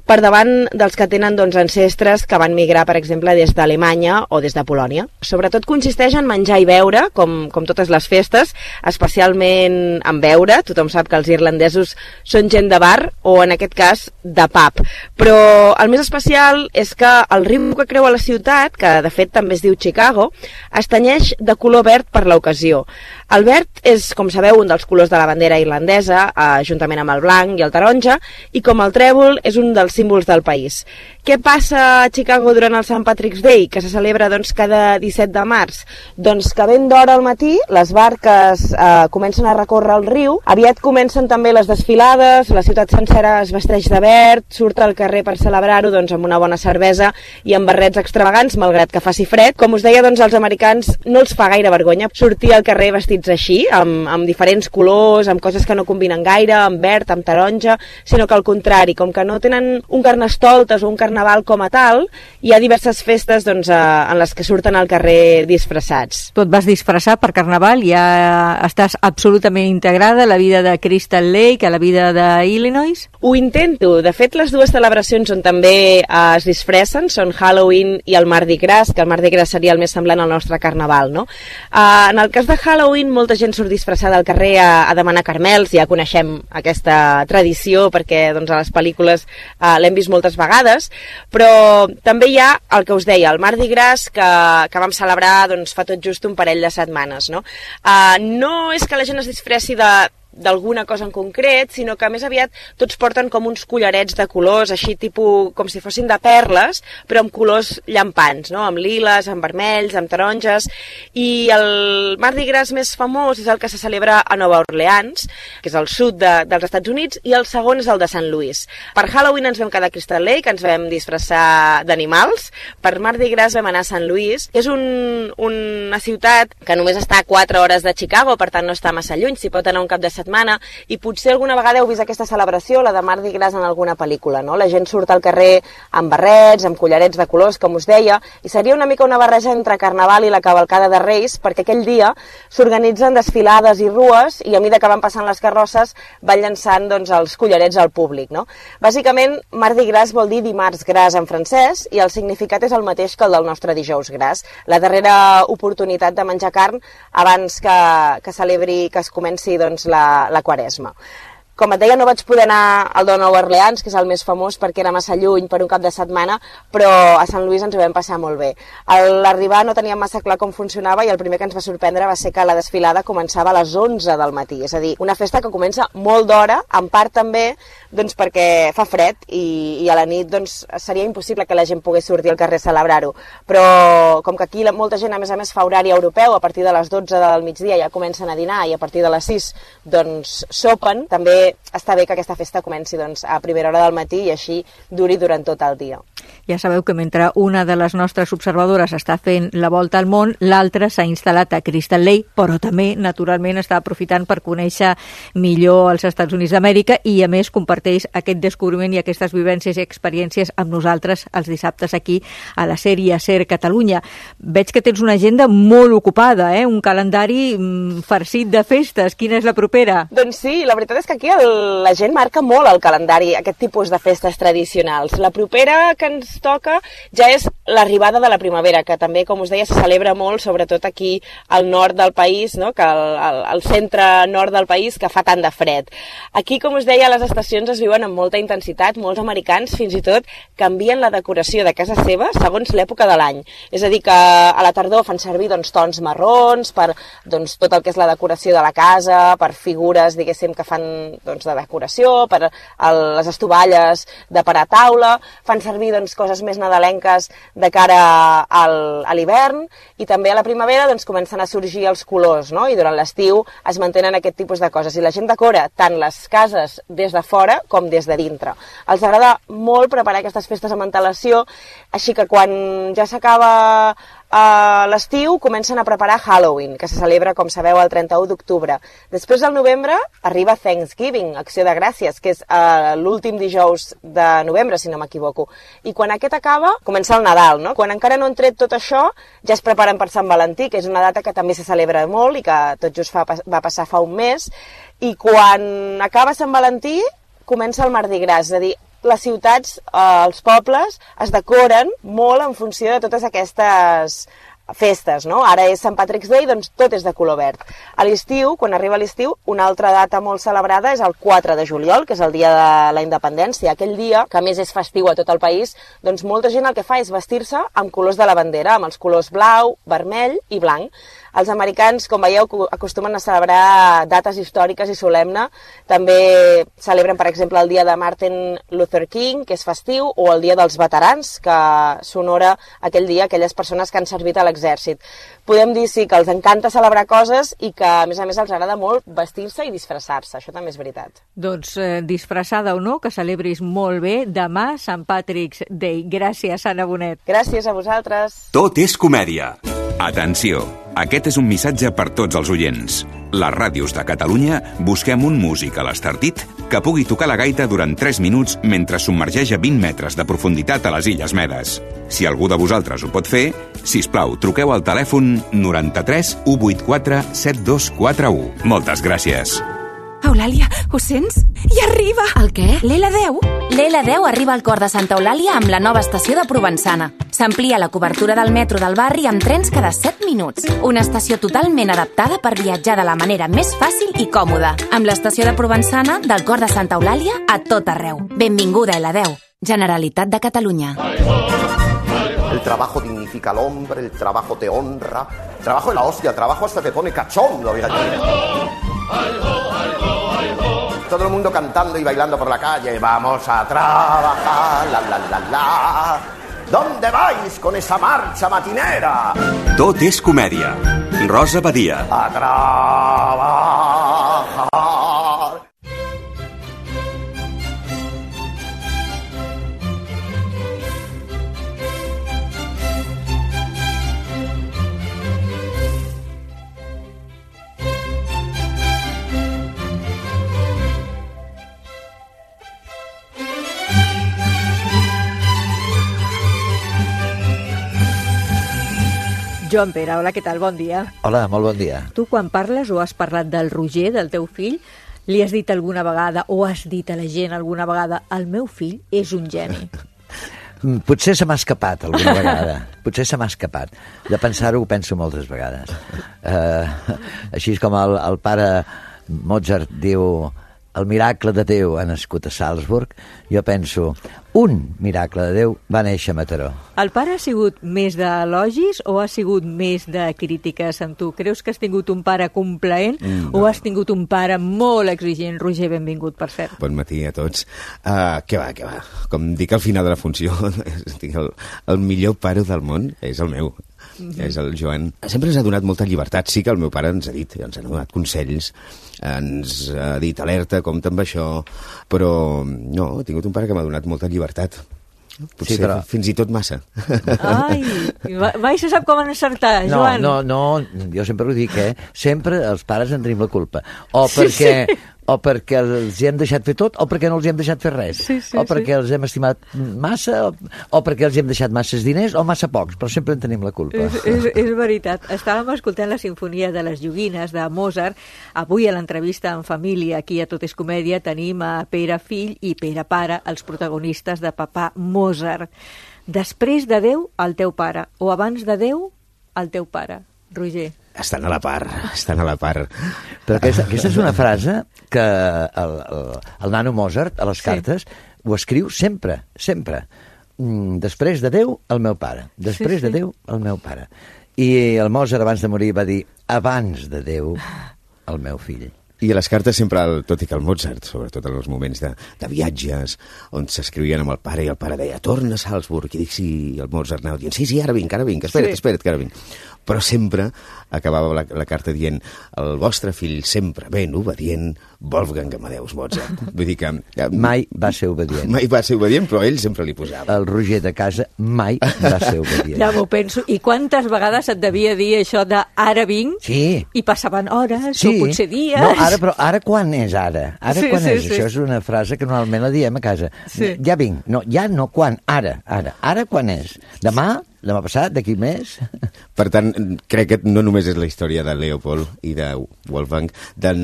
per davant dels que tenen doncs, ancestres que van migrar, per exemple, des d'Alemanya o des de Polònia. Sobretot consisteix en menjar i beure, com, com totes les festes, especialment en beure. Tothom sap que els irlandesos són gent de bar o, en aquest cas, de pub. Però el més especial és que el riu que creua la ciutat, que de fet també es diu Chicago, es tenyeix de color verd per l'ocasió. El verd és, com sabeu, un dels colors de la bandera irlandesa, eh, juntament amb el blanc i el taronja, i com el trèvol és un dels símbols del país. Què passa a Chicago durant el Saint Patrick's Day, que se celebra doncs, cada disset de març? Doncs que ben d'hora al matí les barques eh, comencen a recórrer el riu, aviat comencen també les desfilades, la ciutat sencera es vesteix de verd, surt al carrer per celebrar-ho doncs, amb una bona cervesa i amb barrets extravagants, malgrat que faci fred. Com us deia, doncs, als americans no els fa gaire vergonya sortir al carrer vestits així, amb, amb diferents colors, amb coses que no combinen gaire, amb verd, amb taronja, sinó que al contrari, com que no tenen un carnestoltes o un carnaval com a tal, hi ha diverses festes doncs, en les que surten al carrer disfressats. Tu et vas disfressar per carnaval, ja estàs absolutament integrada a la vida de Crystal Lake, a la vida d'Illinois? Ho intento. De fet, les dues celebracions on també eh, es disfressen són Halloween i el Mardi Gras, que el Mardi Gras seria el més semblant al nostre carnaval, no? Eh, en el cas de Halloween, molta gent surt disfressada al carrer a, a demanar carmels, ja coneixem aquesta tradició perquè doncs, a les pel·lícules eh, l'hem vist moltes vegades, però també hi ha el que us deia, el Mardi Gras, que, que vam celebrar doncs, fa tot just un parell de setmanes, no? Eh, no és que la gent es disfressi de d'alguna cosa en concret, sinó que més aviat tots porten com uns collarets de colors, així tipus com si fossin de perles, però amb colors llampants, no? Amb liles, amb vermells, amb taronges, i el Mardi Gras més famós és el que se celebra a Nova Orleans, que és al sud de, dels Estats Units, i el segon és el de Saint Louis. Per Halloween ens vam quedar a Crystal Lake, ens vam disfressar d'animals. Per Mardi Gras vam anar a Saint Louis, que és un, una ciutat que només està a quatre hores de Chicago, per tant no està massa lluny, s'hi pot anar un cap de setmana, i potser alguna vegada heu vist aquesta celebració, la de Mardi Gras, en alguna pel·lícula, no? La gent surt al carrer amb barrets, amb collarets de colors, com us deia, i seria una mica una barreja entre Carnaval i la cavalcada de Reis, perquè aquell dia s'organitzen desfilades i rues, i a mesura que van passant les carrosses van llançant doncs, els collarets al públic, no? Bàsicament, Mardi Gras vol dir dimarts gras en francès, i el significat és el mateix que el del nostre dijous gras, la darrera oportunitat de menjar carn abans que, que celebri, que es comenci doncs, la, la Quaresma. Com et deia, no vaig poder anar al de Nova Orleans, que és el més famós perquè era massa lluny per un cap de setmana, però a Sant Louis ens ho vam passar molt bé. A l'arribar no teníem massa clar com funcionava i el primer que ens va sorprendre va ser que la desfilada començava a les onze del matí, és a dir, una festa que comença molt d'hora, en part també doncs, perquè fa fred i, i a la nit doncs, seria impossible que la gent pogués sortir al carrer a celebrar-ho, però com que aquí la, molta gent a més a més fa horari europeu, a partir de les dotze del migdia ja comencen a dinar i a partir de les sis doncs sopen, també està bé que aquesta festa comenci doncs, a primera hora del matí i així duri durant tot el dia. Ja sabeu que mentre una de les nostres observadores està fent la volta al món, l'altra s'ha instal·lat a Crystal Lake, però també, naturalment, està aprofitant per conèixer millor els Estats Units d'Amèrica i, a més, comparteix aquest descobriment i aquestes vivències i experiències amb nosaltres els dissabtes aquí a la sèrie SER Catalunya. Veig que tens una agenda molt ocupada, eh? Un calendari mm, farcit de festes. Quina és la propera? Doncs sí, la veritat és que aquí el, la gent marca molt el calendari, aquest tipus de festes tradicionals. La propera que ens toca ja és l'arribada de la primavera, que també, com us deia, se celebra molt, sobretot aquí al nord del país, no? Que al, al, al centre nord del país, que fa tant de fred. Aquí, com us deia, les estacions es viuen amb molta intensitat, molts americans fins i tot canvien la decoració de casa seva segons l'època de l'any. És a dir, que a la tardor fan servir doncs, tons marrons per doncs, tot el que és la decoració de la casa, per figures, diguéssim, que fan doncs, de decoració, per el, les estovalles de per a taula, fan servir doncs, coses més nadalenques de cara al, a l'hivern, i també a la primavera doncs, comencen a sorgir els colors, no? I durant l'estiu es mantenen aquest tipus de coses, i la gent decora tant les cases des de fora com des de dintre. Els agrada molt preparar aquestes festes amb antelació, així que quan ja s'acaba a l'estiu comencen a preparar Halloween, que se celebra, com sabeu, el trenta-u d'octubre. Després del novembre arriba Thanksgiving, Acció de Gràcies, que és uh, l'últim dijous de novembre, si no m'equivoco. I quan aquest acaba, comença el Nadal, no? Quan encara no han tret tot això, ja es preparen per Sant Valentí, que és una data que també se celebra molt i que tot just fa, va passar fa un mes. I quan acaba Sant Valentí, comença el Mardi Gras, és a dir, les ciutats, eh, els pobles, es decoren molt en funció de totes aquestes festes, no? Ara és Sant Patrick's Day, doncs tot és de color verd. A l'estiu, quan arriba l'estiu, una altra data molt celebrada és el quatre de juliol, que és el dia de la independència. Aquell dia, que a més és festiu a tot el país, doncs molta gent el que fa és vestir-se amb colors de la bandera, amb els colors blau, vermell i blanc. Els americans, com veieu, acostumen a celebrar dates històriques i solemne. També celebren, per exemple, el dia de Martin Luther King, que és festiu, o el dia dels veterans, que s'honora aquell dia aquelles persones que han servit a l'exèrcit. Podem dir, sí, que els encanta celebrar coses i que, a més a més, els agrada molt vestir-se i disfressar-se. Això també és veritat. Doncs, eh, disfressada o no, que celebris molt bé. Demà, Sant Patrick's Day. Gràcies, Anna Bonet. Gràcies a vosaltres. Tot és comèdia. Atenció, aquest és un missatge per tots els oients. Les ràdios de Catalunya busquem un músic a l'estartit que pugui tocar la gaita durant tres minuts mentre submergeix a vint metres de profunditat a les Illes Medes. Si algú de vosaltres ho pot fer, sisplau, truqueu al telèfon noranta-tres u vuitanta-quatre set dos quatre u. Moltes gràcies. Eulàlia, ho sents? I arriba! El què? L'L deu. L'L deu arriba al cor de Santa Eulàlia amb la nova estació de Provençana. S'amplia la cobertura del metro del barri amb trens cada set minuts. Una estació totalment adaptada per viatjar de la manera més fàcil i còmoda. Amb l'estació de Provençana, del cor de Santa Eulàlia, a tot arreu. Benvinguda, L deu. Generalitat de Catalunya. El trabajo dignifica al hombre, el trabajo te honra. El trabajo es la hostia, el trabajo hasta te pone cachondo, fíjate. todo el mundo cantando y bailando por la calle. Vamos a trabajar, la, la, la, la. ¿Dónde vais con esa marcha matinera? Tot és comèdia. Rosa Badia. A trabajar. Joan Pere, hola, què tal? Bon dia. Hola, molt bon dia. Tu, quan parles o has parlat del Roger, del teu fill, li has dit alguna vegada o has dit a la gent alguna vegada el meu fill és un geni? Potser se m'ha escapat alguna vegada. Potser se m'ha escapat. De pensar-ho ho penso moltes vegades. Uh, així com el, el pare Mozart diu el miracle de Déu ha nascut a Salzburg, jo penso, un miracle de Déu va néixer a Mataró. El pare ha sigut més d'elogis o ha sigut més de crítiques amb tu? Creus que has tingut un pare complaent mm, no. o has tingut un pare molt exigent? Roger, benvingut, per cert. Bon matí a tots. Uh, què va, què va? Com dic al final de la funció, el, el millor pare del món és el meu. Mm-hmm. És el Joan. Sempre ens ha donat molta llibertat. Sí que el meu pare ens ha dit, ens ha donat consells, ens ha dit alerta, compta amb això, però no, he tingut un pare que m'ha donat molta llibertat. Potser sí, però... fins i tot massa. Ai, mai se sap com encertar, Joan. No, no, no, jo sempre ho dic, eh? Sempre els pares en tenim la culpa. O perquè... Sí, sí. o perquè els hem deixat fer tot, o perquè no els hem deixat fer res, sí, sí, o perquè sí. els hem estimat massa, o, o perquè els hem deixat masses diners, o massa pocs, però sempre en tenim la culpa. És, és, és veritat. Estàvem escoltant la Sinfonia de les Joguines de Mozart. Avui a l'entrevista en família, aquí a Tot és Comèdia, tenim a Pere fill i Pere pare, els protagonistes de Papà Mozart. Després de Déu, el teu pare, o abans de Déu, el teu pare. Roger. Estan a la part, estan a la part. Però aquesta, aquesta és una frase que el, el, el nano Mozart, a les cartes, sí. ho escriu sempre, sempre. Després de Déu, el meu pare. Després sí, sí. de Déu, el meu pare. I el Mozart, abans de morir, va dir abans de Déu, el meu fill. I a les cartes sempre, el, tot i que el Mozart, sobretot en els moments de, de viatges, on s'escrivien amb el pare i el pare deia torna a Salzburg, i dic sí, el Mozart anava dient sí, sí, ara vinc, ara vinc, espera't, sí. espera't, que ara vinc. Però sempre acabava la, la carta dient el vostre fill sempre ben obedient, Wolfgang Amadeus Mozart. Vull dir que... Ja, mai va ser obedient. Mai va ser obedient, però ell sempre li posava. El Roger de casa mai va ser obedient. Ja m'ho penso. I quantes vegades et devia dir això de ara vinc? Sí. I passaven hores sí. o potser dies? No, ara, però ara quan és ara? Ara sí, quan sí, és? Sí. Això és una frase que normalment la diem a casa. Sí. Ja vinc. No, ja no quan. Ara, ara. Ara quan és? Demà? Demà passat? D'aquí més? Per tant, crec que no només és la història de Leopold i de Wolfgang, del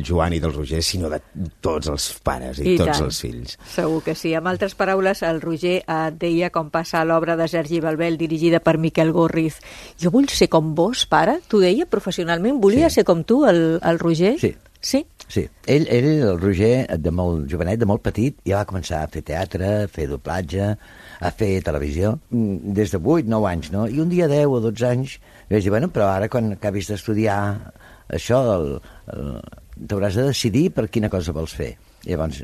Joan i del Roger, sinó de tots els pares i, I tots tant. els fills. Segur que sí. Amb altres paraules, el Roger et deia com passa l'obra de Sergi Balbel, dirigida per Miquel Gorriz. Jo vull ser com vos, pare? T'ho deia professionalment? Volia sí. ser com tu, el, el Roger? Sí. Sí? Sí. Ell, ell, el Roger, de molt jovenet, de molt petit, ja va començar a fer teatre, a fer doblatge, a fer televisió, des de vuit, nou anys, no? I un dia deu o dotze anys, vaig dir, bueno, però ara quan acabis d'estudiar això, el, el, t'hauràs de decidir per quina cosa vols fer. I llavors,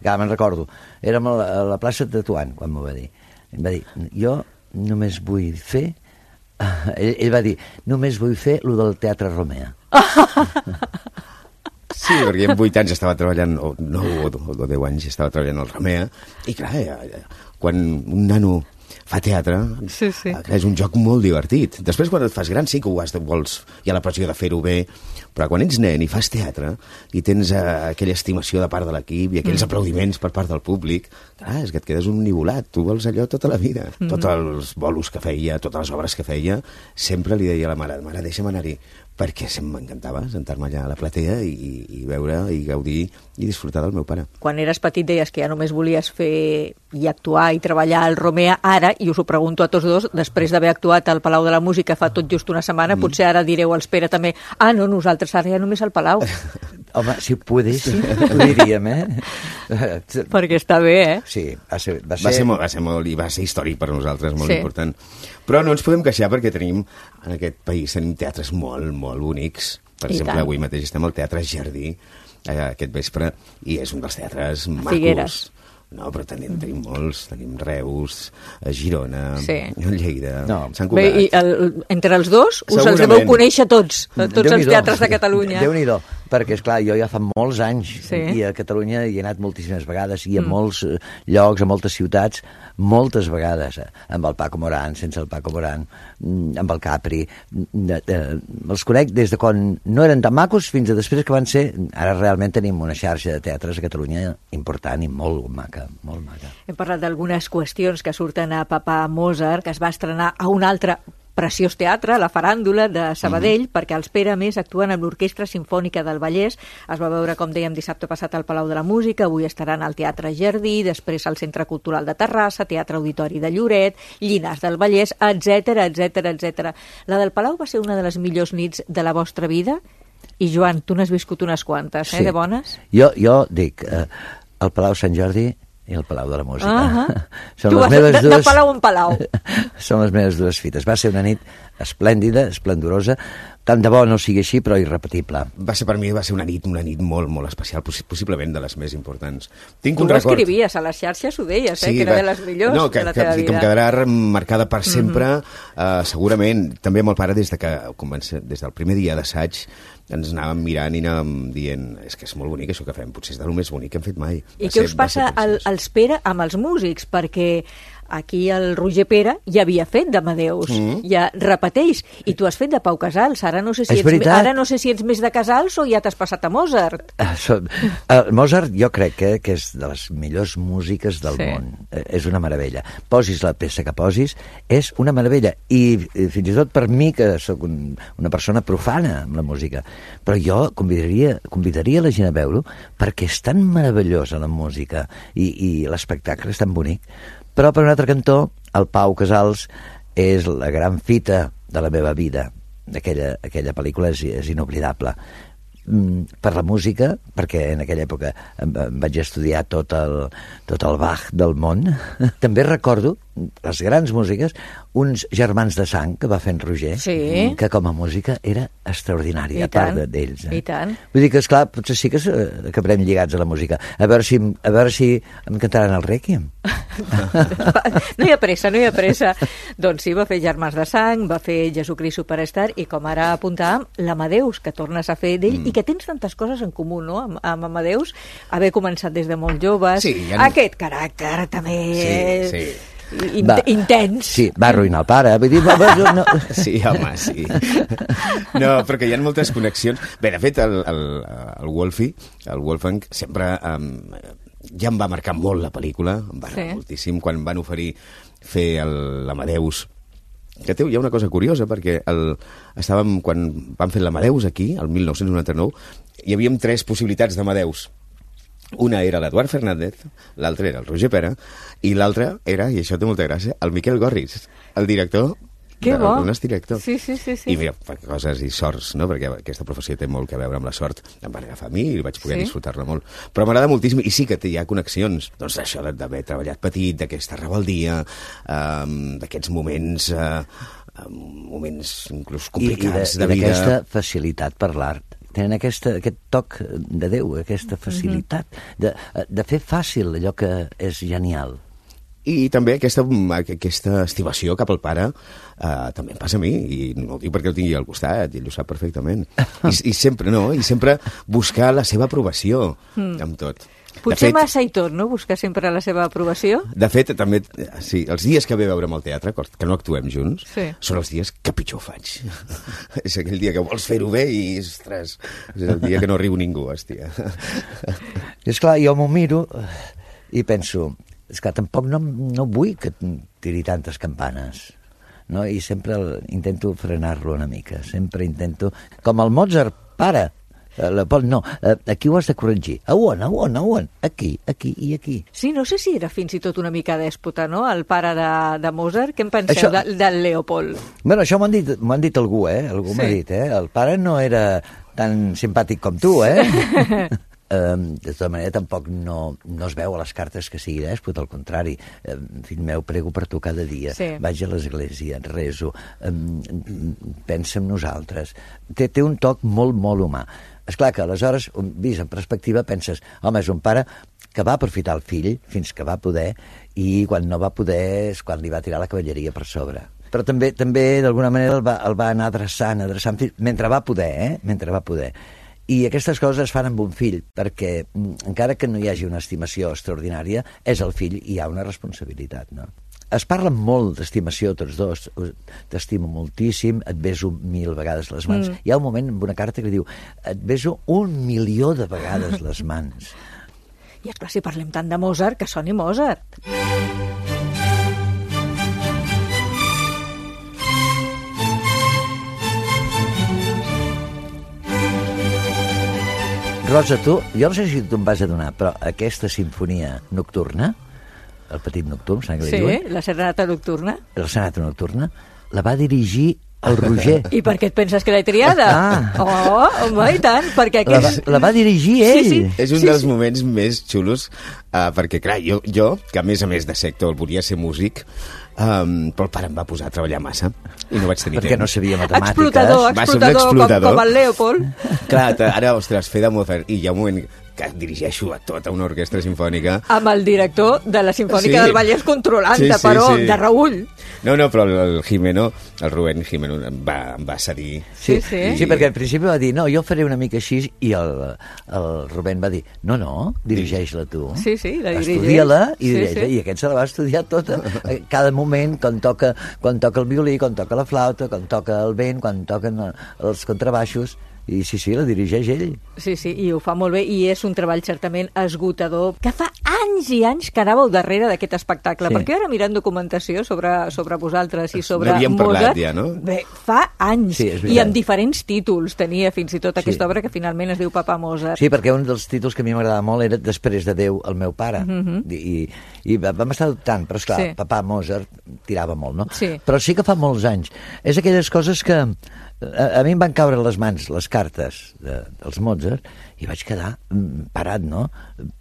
ja me'n recordo, érem a la, a la plaça de Tetuan, quan m'ho va dir. Em va dir, jo només vull fer... Ell, ell va dir, només vull fer lo del Teatre Romea. Sí, perquè en vuit anys estava treballant, o nou o deu anys estava treballant al Romea, i clar, quan un nano fa teatre, sí, sí. és un joc molt divertit. Després, quan et fas gran, sí que ho has de, vols, hi ha la pressió de fer-ho bé, però quan ets nen i fas teatre i tens uh, aquella estimació de part de l'equip i aquells mm. aplaudiments per part del públic, clar, és que et quedes un nivolat, tu vols allò tota la vida. Mm. Tots els bolos que feia, totes les obres que feia, sempre li deia a la mare, mare, deixa'm anar-hi, perquè m'encantava sentar-me allà a la platea i, i veure i gaudir i disfrutar del meu pare. Quan eres petit deies que ja només volies fer i actuar i treballar al Romea. Ara, i us ho pregunto a tots dos, després d'haver actuat al Palau de la Música fa tot just una setmana, mm. potser ara direu al Pere també, ah, no, nosaltres ara ja només al Palau. Home, si ho poguéssim, ho diríem, eh? Perquè està bé, eh? Sí, va ser... Va ser, va ser, molt, va ser molt, i va ser històric per nosaltres, molt sí. important. Però no ens podem queixar perquè tenim, en aquest país, tenim teatres molt, molt bonics, Per I exemple, tant. avui mateix estem al Teatre Jardí, eh, aquest vespre, i és un dels teatres macos. Figueres. No, però tenim, tenim molts, tenim Reus, a Girona, Sí. Lleida, no. Sant Bé, Cugat. i el, entre els dos us els Segurament. deveu conèixer tots, tots els Déu-n'hi-do. teatres de Catalunya. Déu-n'hi-do, perquè, esclar, jo ja fa molts anys Sí. i a Catalunya hi he anat moltíssimes vegades i a Mm. molts eh, llocs, a moltes ciutats, moltes vegades, eh, amb el Paco Morán, sense el Paco Morán, mm, amb el Capri. Mm, eh, eh, els conec des de quan no eren tan macos fins a després que van ser... Ara realment tenim una xarxa de teatres a Catalunya important i molt maca, molt maca. Hem parlat d'algunes qüestions que surten a Papà Mozart, que es va estrenar a un altre preciós teatre, la Faràndula de Sabadell, mm-hmm. perquè els Pere, a més, actuen amb l'Orquestra Simfònica del Vallès. Es va veure, com dèiem, dissabte passat al Palau de la Música, avui estaran al Teatre Jardí, després al Centre Cultural de Terrassa, Teatre Auditori de Lloret, Llinars del Vallès, etcètera, etcètera, etcètera. La del Palau va ser una de les millors nits de la vostra vida? I, Joan, tu n'has viscut unes quantes, eh, Sí. de bones? Jo, jo dic, eh, el Palau Sant Jordi i el Palau de la Música. Uh-huh. Són Tu les vas meves de, de dues... Palau en Palau. Són les meves dues fites. Va ser una nit esplèndida, esplendorosa, tant de bo no sigui així, però irrepetible. Va ser per mi, va ser una nit, una nit molt, molt especial, possi- possiblement de les més importants. Tinc Tu un ho record... escrivies a les xarxes, ho deies, eh, que era va- de les millors no, que, de la que, teva que, vida. que em quedarà marcada per sempre, mm-hmm. uh, segurament. També amb el pare, des, de que, comença, des del primer dia d'assaig, ens anàvem mirant i anàvem dient és que és molt bonic això que fem, potser és del més bonic que hem fet mai. I Va què ser- us va passa ser al, als Pere amb els músics? Perquè aquí el Roger Pere ja havia fet d'Amadeus, Mm. ja repeteix, i tu has fet de Pau Casals. Ara no sé si, És ets, veritat. ara no sé si ets més de Casals o ja t'has passat a Mozart. Eh, so- El Mozart jo crec que, que és de les millors músiques del Sí. món. Eh, És una meravella. Posis la peça que posis, és una meravella. I, i fins i tot per mi, que sóc un, una persona profana amb la música, però jo convidaria, convidaria la gent a veure-ho perquè és tan meravellosa la música i, i l'espectacle és tan bonic. Però per un altre cantó, el Pau Casals és la gran fita de la meva vida. Aquella, aquella pel·lícula és, és inoblidable. Mm, per la música, perquè en aquella època em, em vaig estudiar tot el, tot el Bach del món. També recordo les grans músiques, uns germans de sang que va fer en Roger, Sí. que com a música era extraordinària, I a part tant, de- d'ells. i tant. Vull dir que, esclar, potser sí que eh, acabarem lligats a la música. A veure si, a veure si em cantaran el Rèquiem. No hi ha pressa, no hi ha pressa. Doncs sí, va fer Germans de Sang, va fer Jesucrist Superstar, i com ara apuntàvem, l'Amadeus, que tornes a fer d'ell, mm. i que tens tantes coses en comú, no?, amb, amb Amadeus, haver començat des de molt joves, Sí, ja no- aquest caràcter també... Sí, sí. In Va. intens. Sí, va arruïnar el pare. Vull dir, va, va, no. Sí, home, sí. No, però que hi ha moltes connexions. Bé, de fet, el, el, el Wolfie, el Wolfgang, sempre um, ja em va marcar molt la pel·lícula, em va agradar Sí. moltíssim, quan van oferir fer el- l'Amadeus. Que té, hi ha una cosa curiosa, perquè el, estàvem, quan van fer l'Amadeus aquí, el mil nou-cents noranta-nou, hi havia tres possibilitats d'Amadeus. Una era l'Eduard Fernández, l'altra era el Roger Pere, i l'altra era, i això té molta gràcia, el Miquel Gorris, el director. Que bo. El nostre director. Sí, sí, sí, sí. I mira, per coses i sorts, no? Perquè aquesta professió té molt que veure amb la sort. Em van agafar a mi i vaig poder Sí. disfrutar-la molt. Però m'agrada moltíssim, i sí que té, hi ha connexions, doncs d'això de- d'haver treballat petit, d'aquesta rebeldia, um, d'aquests moments, uh, moments inclús complicats I, i de, vida. d'aquesta facilitat per l'art. Tenen aquesta, aquest toc de Déu, aquesta facilitat de, de fer fàcil allò que és genial. I també aquesta, aquesta estimació cap al pare uh, també em passa a mi, i no ho dic perquè el tingui al costat, i ell ho sap perfectament. I, i sempre, no? I sempre buscar la seva aprovació Mm. amb tot. Potser de fet, massa i tot, no?, buscar sempre la seva aprovació. De fet, també, sí, els dies que ve a veure'm al teatre, que no actuem junts, Sí. són els dies que pitjor ho faig. És aquell dia que vols fer-ho bé i, ostres, és el dia que no riu ningú, hòstia. I esclar, jo m'ho miro i penso, esclar, tampoc no, no vull que tiri tantes campanes, no? I sempre el, intento frenar-lo una mica, sempre intento... Com el Mozart, pare, eh, Leopold, no, eh, aquí ho has de corregir. A on, a on, a on? Aquí, aquí i aquí. Sí, no sé si era fins i tot una mica dèspota, no?, el pare de, de Mozart. Què en penseu Això- de, del Leopold? Bueno, això m'ho han dit, m'ho han dit algú, eh? Algú Sí. m'ha dit, eh? El pare no era tan simpàtic com tu, eh? Um, de tota manera, tampoc no, no es veu a les cartes que sigui dèspot, al contrari. Um, fill meu, prego per tu cada dia. Sí. Vaig a l'església, rezo, um, pensa en nosaltres. Té, té un toc molt, molt humà. Esclar que aleshores, vist en perspectiva, penses, home, és un pare que va aprofitar el fill fins que va poder, i quan no va poder és quan li va tirar la cavalleria per sobre. Però també, també d'alguna manera, el va, el va anar adreçant, adreçant, mentre va poder, eh? Mentre va poder. I aquestes coses es fan amb un fill, perquè encara que no hi hagi una estimació extraordinària, és el fill i hi ha una responsabilitat, no? Es parla molt d'estimació tots dos, t'estimo moltíssim, et beso mil vegades les mans. Mm. Hi ha un moment en una carta que diu, et beso un milió de vegades les mans. I esclar, si parlem tant de Mozart, que soni Mozart. Rosa, tu, jo no sé si tu em vas adonar, però aquesta sinfonia nocturna, el petit nocturn, sembla que sí, li diuen? La serenata nocturna. La serenata nocturna, la va dirigir el Roger. I per què et penses que l'he triada? Ah. Oh, home, i tant, perquè La, va, aquest... la va dirigir ell. Sí, sí. És un sí, dels sí. moments més xulos, uh, perquè, clar, jo, jo, que a més a més de sector volia ser músic, um, però el pare em va posar a treballar massa i no vaig tenir perquè temps. no sabia matemàtiques. Explotador, Va ser un explotador, explotador. Com, com el Leopold. Clar, ara, ostres, fer de Mozart, i hi ha un moment que dirigeixo a tota una orquestra sinfònica. Amb el director de la Sinfònica Sí. del Vallès controlant-te, Sí, sí, però sí. de reull. No, no, però el, el Jimeno, el Rubén Jimeno em va, em va cedir. Sí, sí. Sí, perquè al principi va dir, no, jo faré una mica així, i el, el Rubén va dir, no, no, dirigeix-la tu. Sí, sí, la dirigeix. Estudia-la i Sí, dirigeix-la, sí. i aquest se la va estudiar tota, eh, cada moment, quan toca, quan toca el violí, quan toca la flauta, quan toca el vent, quan toquen eh, els contrabaixos, i sí, sí, la dirigeix ell. Sí, sí, i ho fa molt bé, i és un treball certament esgotador, que fa anys i anys que anàveu darrere d'aquest espectacle, Sí. perquè ara mirant documentació sobre, sobre vosaltres i sobre N'havíem Mozart, parlat ja, no? bé, fa anys, Sí, és veritat. i amb diferents títols tenia fins i tot aquesta Sí. obra que finalment es diu Papa Mozart. Sí, perquè un dels títols que a mi m'agradava molt era Després de Déu, el meu pare. Mhm. I, i vam estar dubtant, però esclar, Sí. papà Mozart tirava molt, no? Sí. Però sí que fa molts anys. És aquelles coses que a, a mi em van caure a les mans les cartes de, dels Mozart i vaig quedar mm, parat, no?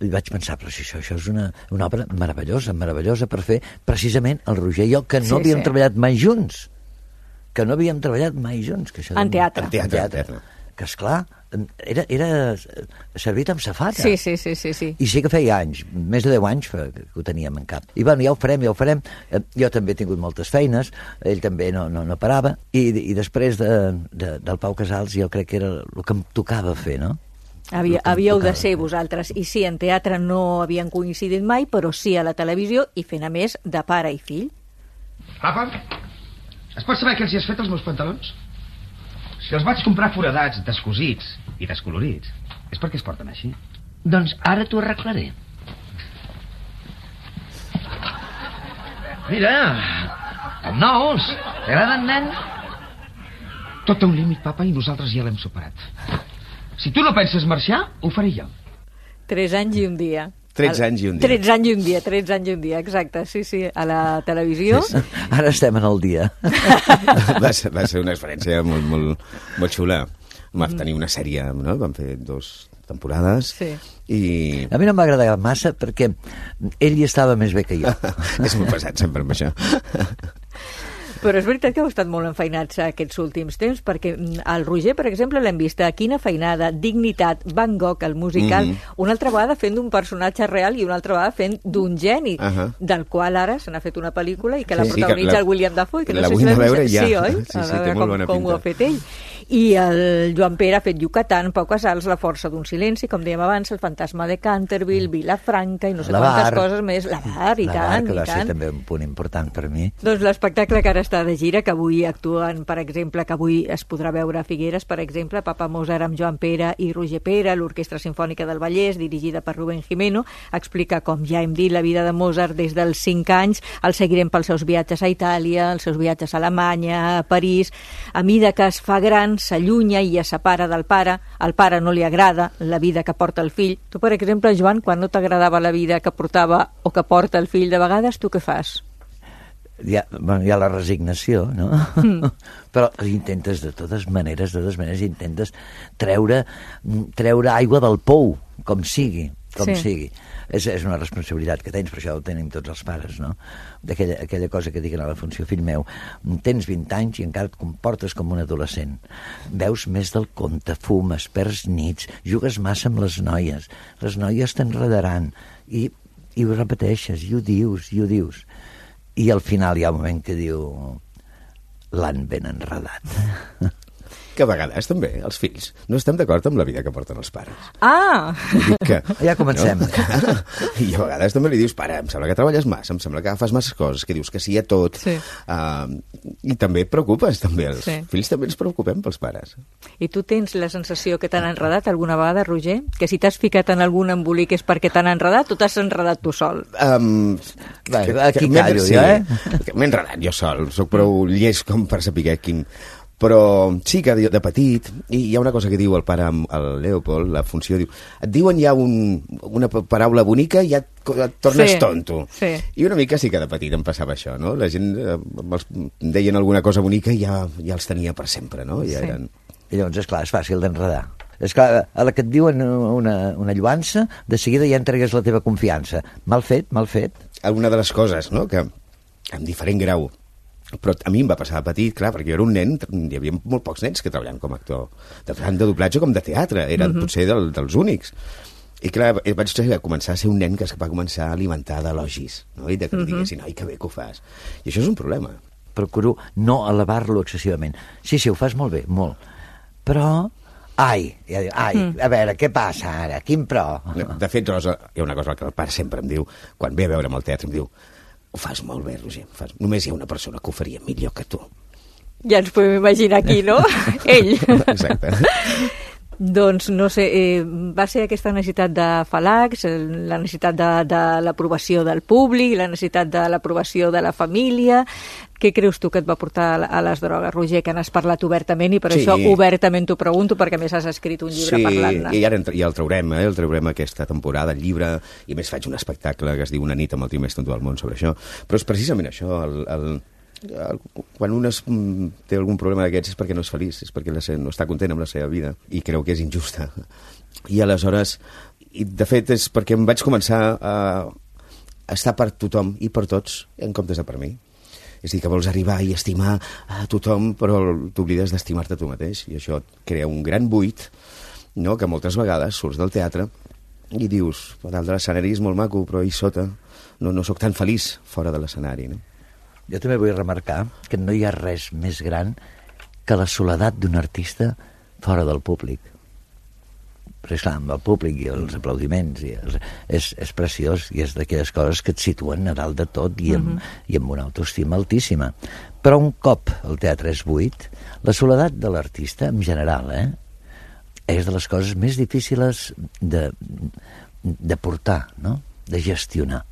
I vaig pensar, però si això, això és una, una obra meravellosa, meravellosa per fer precisament el Roger i jo, que no Sí, havíem sí. treballat mai junts. Que no havíem treballat mai junts. Que això En teatre. En teatre, en teatre. Que, esclar, era, era servit amb safata. Sí, sí, sí, sí, sí. I sí que feia anys, més de deu anys que ho teníem en cap. I bueno, ja ho farem, ja ho farem. Eh, Jo també he tingut moltes feines, ell també no, no, no parava, i, i després de, de, del Pau Casals jo crec que era el que em tocava fer, no? Havia, El que em havíeu de tocava ser vosaltres, i sí, en teatre no havien coincidit mai, però sí a la televisió, i fent a més de pare i fill. Papa, es pot saber què els hi has fet als meus pantalons? Si els vaig comprar foradats, descosits i descolorits, és perquè es porten així. Doncs ara t'ho arreglaré. Mira, com nous. T'agraden, nen? Tot té un límit, papa, i nosaltres ja l'hem superat. Si tu no penses marxar, ho faré jo. Tres anys i un dia. tretze anys i un dia. tretze anys i un dia, tretze anys i un dia, exacte, sí, sí, a la televisió. Sí, sí. Ara estem en el dia. va, ser, va ser una experiència molt, molt, molt xula. Vam tenir una sèrie, no? Vam fer dos temporades. Sí. I... A mi no m'ha agradat massa perquè ell hi estava més bé que jo. És molt pesat sempre amb això. Però és veritat que heu estat molt enfeinats aquests últims temps, perquè el Roger, per exemple, l'hem vist a Quina feinada, Dignitat, Van Gogh, el musical, Mhm. una altra vegada fent d'un personatge real i una altra vegada fent d'un geni, Ahà. del qual ara se n'ha fet una pel·lícula i que la Sí, sí, protagonitza que la- el William Dafoe, que no la sé vull si l'has anar a veure vist. ja. Sí, oi? Sí, A sí, veure té molt com, bona com ho ha pinta. fet ell. I el Joan Pere ha fet Yucatán, Pau Casals, La força d'un silenci, com dèiem abans, El fantasma de Canterville, Vilafranca i no sé La quantes Bar. coses més. La Bar, i La tant, Bar, que i va ser tant. també un punt important per mi. Doncs l'espectacle que ara està de gira, que avui actuen, per exemple, que avui es podrà veure a Figueres, per exemple, Papa Mozart amb Joan Pere i Roger Pere, l'Orquestra Simfònica del Vallès, dirigida per Rubén Jimeno, explica, com ja hem dit, la vida de Mozart des dels cinc anys, el seguirem pels seus viatges a Itàlia, els seus viatges a Alemanya, a París, a mida que es fa gran, s'allunya i es separa del pare, al pare no li agrada la vida que porta el fill. Tu, per exemple, Joan, quan no t'agradava la vida que portava o que porta el fill de vegades, tu què fas? Hi ha, bueno, hi ha la resignació, no? Mm. Però intentes de totes maneres, de totes maneres intentes treure, treure aigua del pou, com sigui, com Sí. sigui. És, és una responsabilitat que tens, per això ho tenim tots els pares, no? D'aquella aquella cosa que diuen a la funció, fill meu, tens vint anys i encara et comportes com un adolescent. Veus més del compte, fumes, perds nits, jugues massa amb les noies, les noies t'enredaran, i, i ho repeteixes, i ho dius, i ho dius. I al final hi ha un moment que diu l'han ben enredat. Que a vegades també els fills no estem d'acord amb la vida que porten els pares. Ah! Que, ja comencem. No? I a vegades també li dius, pare, em sembla que treballes massa, em sembla que fas masses coses, que dius que sí a tot. Sí. Uh, I també et preocupes, també. Els Sí. fills també ens preocupem pels pares. I tu tens la sensació que t'han enredat alguna vegada, Roger? Que si t'has ficat en algun embolic és perquè t'han enredat o t'has enredat tu sol? Um, Va, que, aquí que, callo sí, jo, eh? que M'he enredat jo sol, soc prou llest com per saber quin... Però sí que de, de petit, i hi ha una cosa que diu el pare, el Leopold, la funció, diu, et diuen ja un, una paraula bonica i ja et, et tornes Sí, tonto. sí. I una mica sí que de petit em passava això, no? La gent eh, els, em deien alguna cosa bonica i ja, ja els tenia per sempre, no? Ja Sí. eren... I llavors, esclar, és fàcil d'enredar. És clar, a la que et diuen una, una lluança, de seguida ja entregues la teva confiança. Mal fet, mal fet. Alguna de les coses, no?, que amb diferent grau, però a mi em va passar de petit, clar, perquè jo era un nen, hi havia molt pocs nens que treballaven com a actor, de, tant de doblatge com de teatre, eren Mhm. potser del, dels únics. I clar, vaig començar a ser un nen que es va començar a alimentar d'elogis, no? I de que Mhm. em diguessin, ai, que bé que ho fas. I això és un problema. Procuro no elevar-lo excessivament. Sí, sí, ho fas molt bé, molt. Però, ai, ja diu, ai, Mm. a veure, què passa ara? Quin però? De fet, Rosa, hi ha una cosa que el pare sempre em diu, quan ve a veure'm al teatre, em diu, ho fas molt bé, Roger, ho fas... només hi ha una persona que ho faria millor que tu. Ja ens podem imaginar qui, no? Ell. Exacte. Doncs, no sé, eh, va ser aquesta necessitat de falacs, eh, la necessitat de, de l'aprovació del públic, la necessitat de l'aprovació de la família. Què creus tu que et va portar a, a les drogues, Roger, que n'has parlat obertament i per Sí. això obertament t'ho pregunto, perquè a més has escrit un llibre Sí, parlant-ne. i ara ja el traurem, eh? el traurem aquesta temporada, el llibre, i a més faig un espectacle que es diu Una nit amb el tio més tonto del món sobre això. Però és precisament això, el, el, el, quan un es, mm, té algun problema d'aquests és perquè no és feliç, és perquè la, se- no està content amb la seva vida, i creu que és injusta. I aleshores, i de fet és perquè em vaig començar a, a estar per tothom i per tots, en comptes de per mi. És a dir, que vols arribar i estimar a tothom, però t'oblides d'estimar-te tu mateix, i això et crea un gran buit, no?, que moltes vegades surts del teatre i dius, a dalt de l'escenari és molt maco, però ahir sota no, no sóc tan feliç fora de l'escenari, no? Jo també vull remarcar que no hi ha res més gran que la soledat d'un artista fora del públic. Però és clar, amb el públic i els aplaudiments i els, és, és preciós i és d'aquelles coses que et situen a dalt de tot i amb, Mhm. i amb una autoestima altíssima. Però un cop el teatre és buit, la soledat de l'artista, en general, eh, és de les coses més difícils de, de portar, no?, de gestionar.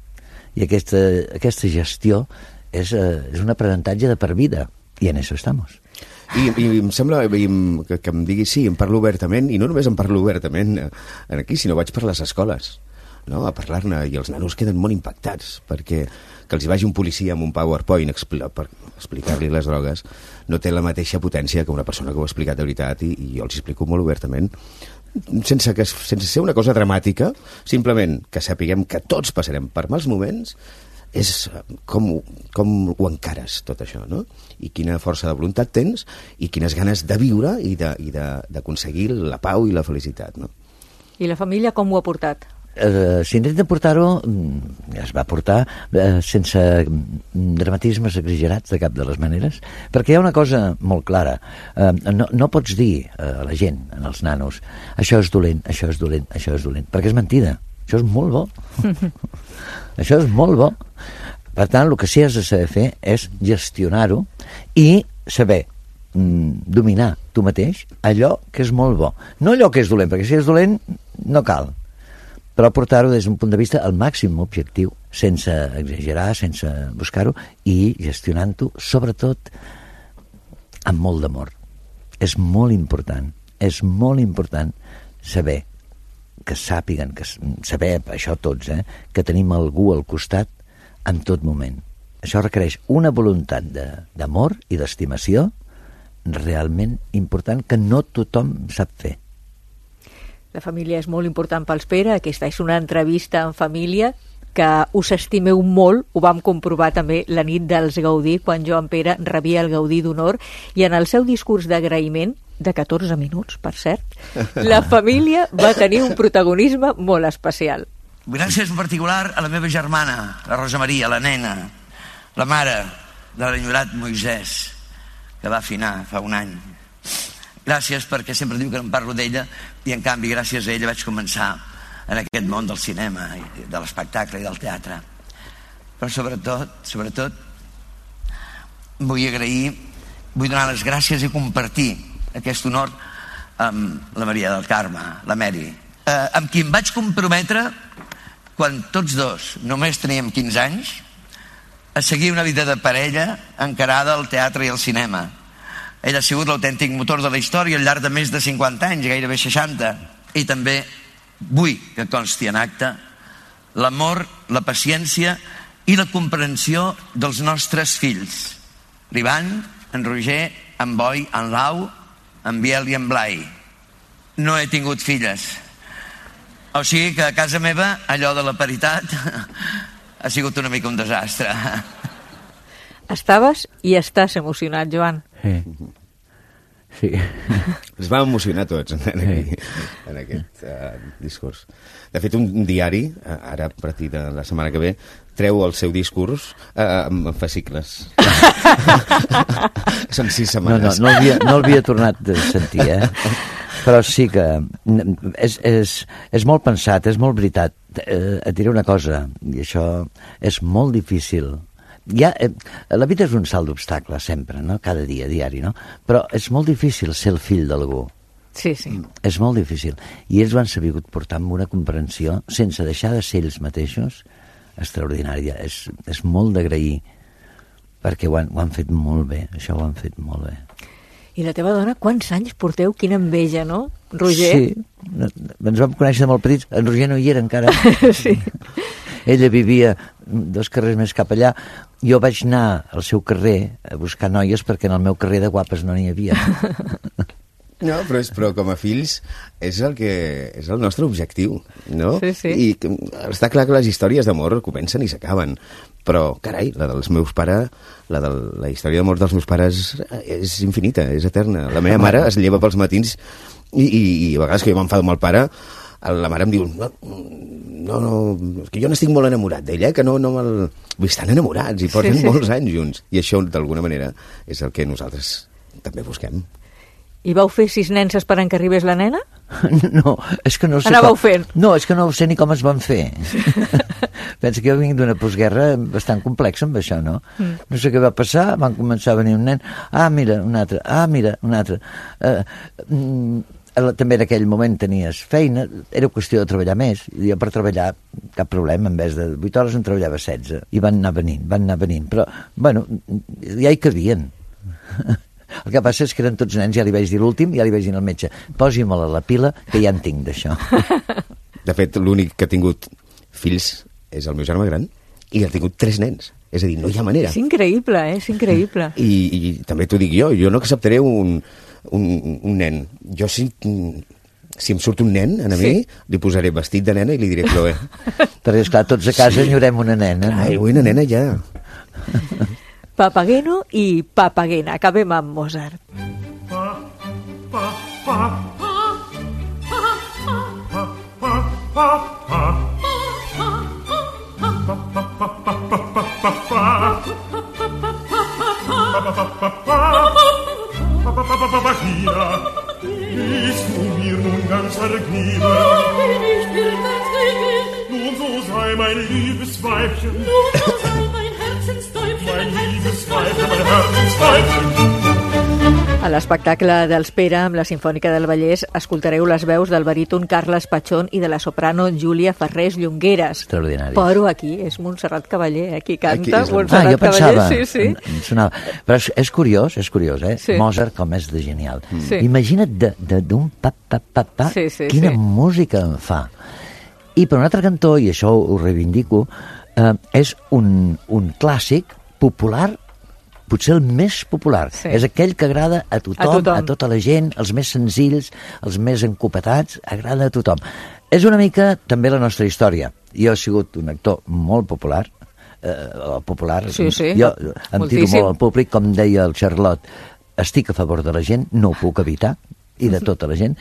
I aquesta, aquesta gestió és, eh, és un aprenentatge de per vida, i en això estamos. I, i em sembla i em, que, que em digui sí, em parlo obertament, i no només em parlo obertament eh, aquí, sinó vaig per les escoles, no?, a parlar-ne, i els nanos queden molt impactats, perquè que els hi vagi un policia amb un PowerPoint expli per explicar-li les drogues no té la mateixa potència que una persona que ho ha explicat de veritat, i, i jo els explico molt obertament, sense, que, sense ser una cosa dramàtica, simplement que sapiguem que tots passarem per mals moments, és com, com ho encares tot això, no? I quina força de voluntat tens i quines ganes de viure i de- i de- d'aconseguir la pau i la felicitat, no? I la família com ho ha portat? Eh, S'intenta portar-ho, mm, es va portar eh, sense mm, dramatismes exagerats de cap de les maneres, perquè hi ha una cosa molt clara. Eh, no, no pots dir eh, a la gent, als nanos, això és dolent, això és dolent, això és dolent, perquè és mentida. Això és molt bo. Això és molt bo. Per tant, el que sí has de saber fer és gestionar-ho i saber mm, dominar tu mateix allò que és molt bo. No allò que és dolent, perquè si és dolent no cal. Però portar-ho des d'un punt de vista al màxim objectiu, sense exagerar, sense buscar-ho, i gestionant-ho, sobretot, amb molt d'amor. És molt important, és molt important saber que sàpiguen, que s- saber, això tots, eh, que tenim algú al costat en tot moment. Això requereix una voluntat de- d'amor i d'estimació realment important que no tothom sap fer. La família és molt important pels Pere, aquesta és una entrevista en família, que us estimeu molt, ho vam comprovar també la nit dels Gaudí, quan Joan Pere rebia el Gaudí d'honor, i en el seu discurs d'agraïment, de catorze minuts, per cert, la família va tenir un protagonisme molt especial. Gràcies en particular a la meva germana, la Rosa Maria, la nena, la mare de l'enyorat Moisès, que va afinar fa un any. Gràcies perquè sempre diu que no em parlo d'ella, i en canvi gràcies a ella vaig començar en aquest món del cinema, de l'espectacle i del teatre. Però sobretot, sobretot, vull agrair, vull donar les gràcies i compartir aquest honor amb la Maria del Carme, la Mary, eh, amb qui em vaig comprometre quan tots dos només teníem quinze anys a seguir una vida de parella encarada al teatre i al cinema. Ell ha sigut l'autèntic motor de la història al llarg de més de cinquanta anys, gairebé seixanta, i també vull que consti en acte l'amor, la paciència i la comprensió dels nostres fills, l'Ivan, en Roger, en Boi, en Lau, en Biel i en Blai. No he tingut filles, o sigui que a casa meva allò de la paritat ha sigut una mica un desastre. Estaves i estàs emocionat, Joan. Sí. Sí. Ens vam emocionar tots en, aquí, en aquest uh, discurs. De fet, un diari, uh, ara a partir de la setmana que ve, treu el seu discurs uh, amb fascicles. Són sis setmanes. No, no, no l'havia no l'havia tornat a sentir, eh? Però sí que és, és, és molt pensat, és molt veritat. Eh, et diré una cosa, i això és molt difícil. Ja, eh, la vida és un salt d'obstacles sempre, no? Cada dia, diari, no? Però és molt difícil ser el fill d'algú. Sí, sí. És molt difícil. I ells ho han sabut portar amb una comprensió, sense deixar de ser ells mateixos, extraordinària. És, és molt d'agrair, perquè ho han, ho han fet molt bé, això ho han fet molt bé. I la teva dona, quants anys porteu? Quina enveja, no, Roger? Sí, ens vam conèixer de molt petits. En Roger no hi era encara. Sí. Ella vivia dos carrers més cap allà. Jo vaig anar al seu carrer a buscar noies perquè en el meu carrer de guapes no n'hi havia. No, però, és, però com a fills és el, que, és el nostre objectiu, no? Sí, sí. I que, està clar que les històries d'amor comencen i s'acaben, però, carai, la dels meus pares, la, de, la història d'amor dels meus pares és infinita, és eterna. La meva mare es lleva pels matins i, i, i a vegades que jo m'enfado amb el pare, la mare em diu no, no, no, és que jo n'estic molt enamorat d'ella, que no, no me'l... Vull estar enamorats i porten sí, sí. molts anys junts, i això d'alguna manera és el que nosaltres també busquem. I vau fer sis nenses per en que arribés la nena? No, és que no sé Anàveu com... fent? No, és que no sé ni com es van fer. Pensa que jo vinc d'una postguerra bastant complexa amb això, no? Mm. No sé què va passar, van començar a venir un nen, ah, mira, un altre, ah, mira, un altre. Uh, mm, també en aquell moment tenies feina, era qüestió de treballar més, i jo per treballar cap problema, en vez de vuit hores en treballava setze, i van anar venint, van anar venint, però, bueno, ja hi cabien. El que passa és que eren tots nens, ja li vaig dir l'últim, ja li vaig dir al metge, posi-me-la a la pila, que ja en tinc d'això. De fet, l'únic que ha tingut fills és el meu germà gran, i ha tingut tres nens. És a dir, no hi ha manera. És increïble, eh? És increïble. I, i també t'ho dic jo, jo no acceptaré un, un, un nen. Jo si, si em surt un nen a mi, sí. li posaré vestit de nena i li diré Chloe. Perquè, esclar, tots a casa enyorem una nena. Clar, no? Vull una nena ja. Papageno i Papagena. Acabem amb Mozart. Pa, pa, pa, pa, pa, pa, pa, pa, A l'espectacle dels Pere amb la Simfònica del Vallès escoltareu les veus del baríton Carles Pachón i de la soprano Júlia Ferrés Llongueras. Extraordinari. Però aquí és Montserrat Cavaller, aquí canta aquí és... Montserrat ah, jo pensava, Cavaller. Sí, sí. Em sonava. Però és, és curiós, és curiós, eh? Sí. Mozart com és de genial. Sí. Imagina't d'un pa, pa, pa, pa, sí, sí, quina sí. música en fa. I per un altre cantó, i això ho reivindico, eh, és un, un clàssic popular potser el més popular. Sí. És aquell que agrada a tothom, A tothom. a tota la gent, els més senzills, els més encopetats, agrada a tothom. És una mica també la nostra història. Jo he sigut un actor molt popular, eh, popular. Sí, sí, jo em moltíssim. tiro molt al públic, com deia el Charlot, estic a favor de la gent, no ho puc evitar, i de tota la gent,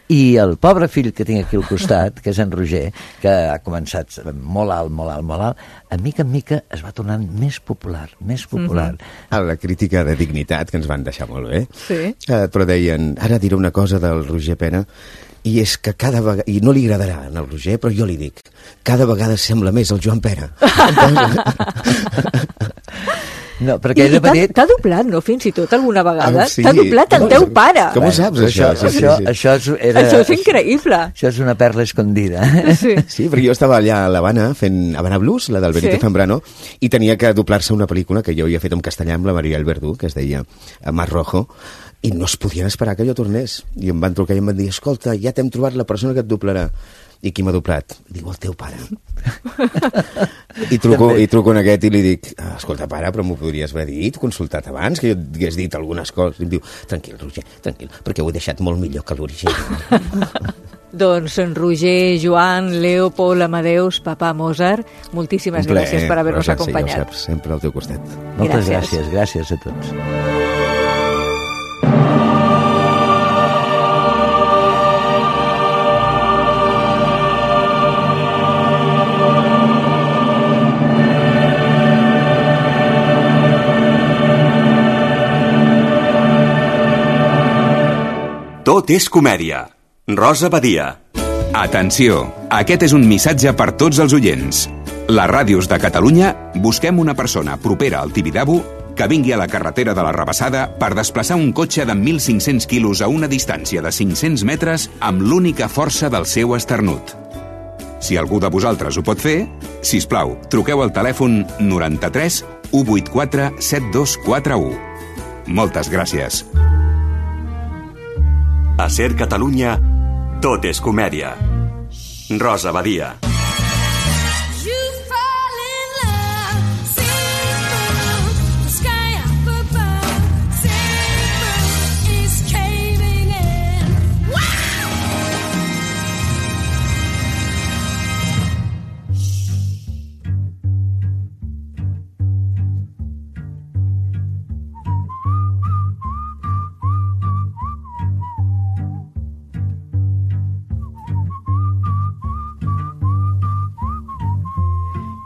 i el pobre fill que tinc aquí al costat, que és en Roger, que ha començat molt alt, molt alt, molt alt, a mica en mica es va tornant més popular, més popular. Mm-hmm. A la crítica de dignitat, que ens van deixar molt bé, Sí. eh, però deien, ara diré una cosa del Roger Pera, i és que cada vegada, i no li agradarà al Roger, però jo li dic, cada vegada sembla més el Joan Pera. No, perquè I, ell i de petit... t'ha doblat, no, fins i tot alguna vegada? Ah, sí. T'ha doblat el teu pare. Com ho saps, això? Això, Sí, sí, això, sí. això, és, era, Això és increïble. Això és una perla escondida. Sí. Sí, perquè jo estava allà a l'Havana fent Havana Blues, la del Benito Sí. Zambrano, i tenia que doblar-se una pel·lícula que jo havia fet en castellà amb la Mariel Verdú, que es deia Mar Rojo, i no es podien esperar que jo tornés. I em van trucar i em van dir, escolta, ja t'hem trobat la persona que et doblarà. I qui m'ha doblat? Diu, el teu pare. I truco, i truco en aquest i li dic, ah, escolta, pare, però m'ho podries haver dit, consultat abans, que jo et hagués dit algunes coses. I em diu, tranquil, Roger, tranquil, perquè ho he deixat molt millor que l'original. Doncs en Roger, Joan, Leo, Paul, Amadeus, papà Mozart, moltíssimes Un plaer, gràcies per haver-nos Rosa, sí, acompanyat. ja ho saps, sempre al teu costat. Moltes Gràcies. gràcies, gràcies a tots. Tot és comèdia. Rosa Badia. Atenció, aquest és un missatge per tots els oients. Les ràdios de Catalunya busquem una persona propera al Tibidabo que vingui a la carretera de la Rabassada per desplaçar un cotxe de mil cinc-cents quilos a una distància de cinc-cents metres amb l'única força del seu esternut. Si algú de vosaltres ho pot fer, sisplau, truqueu al telèfon noranta-tres u vuitanta-quatre set dos quatre u. Moltes gràcies. A Ser Catalunya, tot és comèdia. Rosa Badia.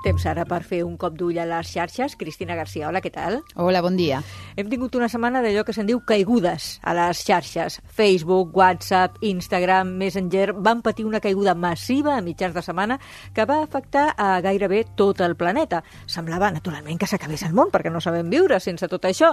Temps ara per fer un cop d'ull a les xarxes. Cristina Garcia, hola, què tal? Hola, bon dia. Hem tingut una setmana d'allò que se'n diu caigudes a les xarxes. Facebook, WhatsApp, Instagram, Messenger van patir una caiguda massiva a mitjans de setmana que va afectar a gairebé tot el planeta. Semblava, naturalment, que s'acabés el món, perquè no sabem viure sense tot això.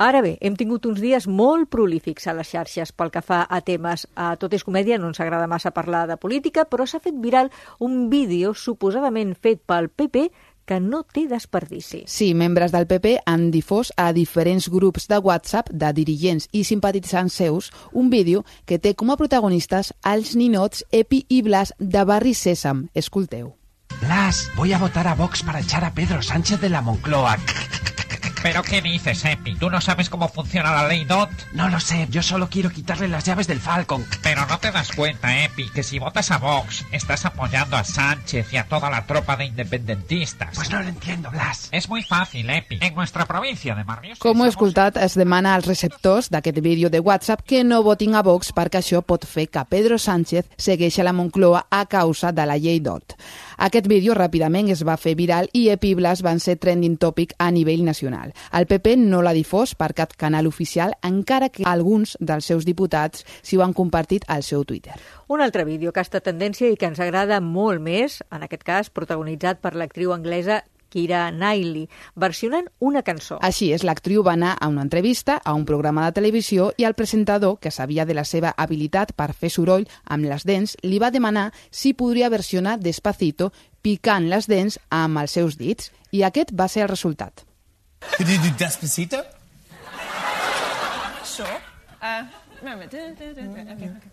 Ara bé, hem tingut uns dies molt prolífics a les xarxes pel que fa a temes. A Tot és comèdia no ens agrada massa parlar de política, però s'ha fet viral un vídeo suposadament fet pel P P que no té desperdici. Sí, membres del P P han difós a diferents grups de WhatsApp de dirigents i simpatitzants seus un vídeo que té com a protagonistes els ninots Epi i Blas de Barri Sèsam. Escolteu. Blas, voy a votar a Vox para echar a Pedro Sánchez de la Moncloa. ¿Pero qué dices, Epi? ¿Tú no sabes cómo funciona la ley D O T? No lo sé, yo solo quiero quitarle las llaves del Falcon. Pero no te das cuenta, Epi, que si votas a Vox, estás apoyando a Sánchez y a toda la tropa de independentistas. Pues no lo entiendo, Blas. Es muy fácil, Epi. En nuestra provincia de Marriós... Com heu escoltat, es demana als receptors d'aquest vídeo de WhatsApp que no votin a Vox perquè això pot fer que Pedro Sánchez segueixi a la Moncloa a causa de la llei D O T. Aquest vídeo ràpidament es va fer viral i Epi i Blas van ser trending topic a nivell nacional. El P P no l'ha difós per cap canal oficial, encara que alguns dels seus diputats s'hi ho han compartit al seu Twitter. Un altre vídeo que ha estat tendència i que ens agrada molt més, en aquest cas protagonitzat per l'actriu anglesa Keira Knightley, versionant una cançó. Així és, l'actriu va anar a una entrevista, a un programa de televisió, i el presentador, que sabia de la seva habilitat per fer soroll amb les dents, li va demanar si podria versionar Despacito picant les dents amb els seus dits, i aquest va ser el resultat. Could you do Despacito? Sure. Uh, moment. Okay, okay.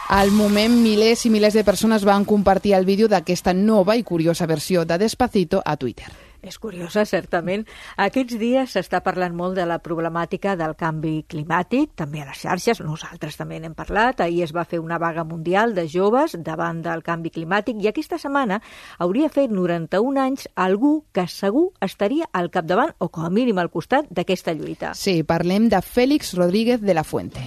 Al moment, milers i milers de persones van compartir el vídeo d'aquesta nova i curiosa versió de Despacito a Twitter. És curiosa, certament. Aquests dies s'està parlant molt de la problemàtica del canvi climàtic, també a les xarxes, nosaltres també n'hem parlat. Ahir es va fer una vaga mundial de joves davant del canvi climàtic i aquesta setmana hauria fet noranta-un anys algú que segur estaria al capdavant o com a mínim al costat d'aquesta lluita. Sí, parlem de Félix Rodríguez de la Fuente.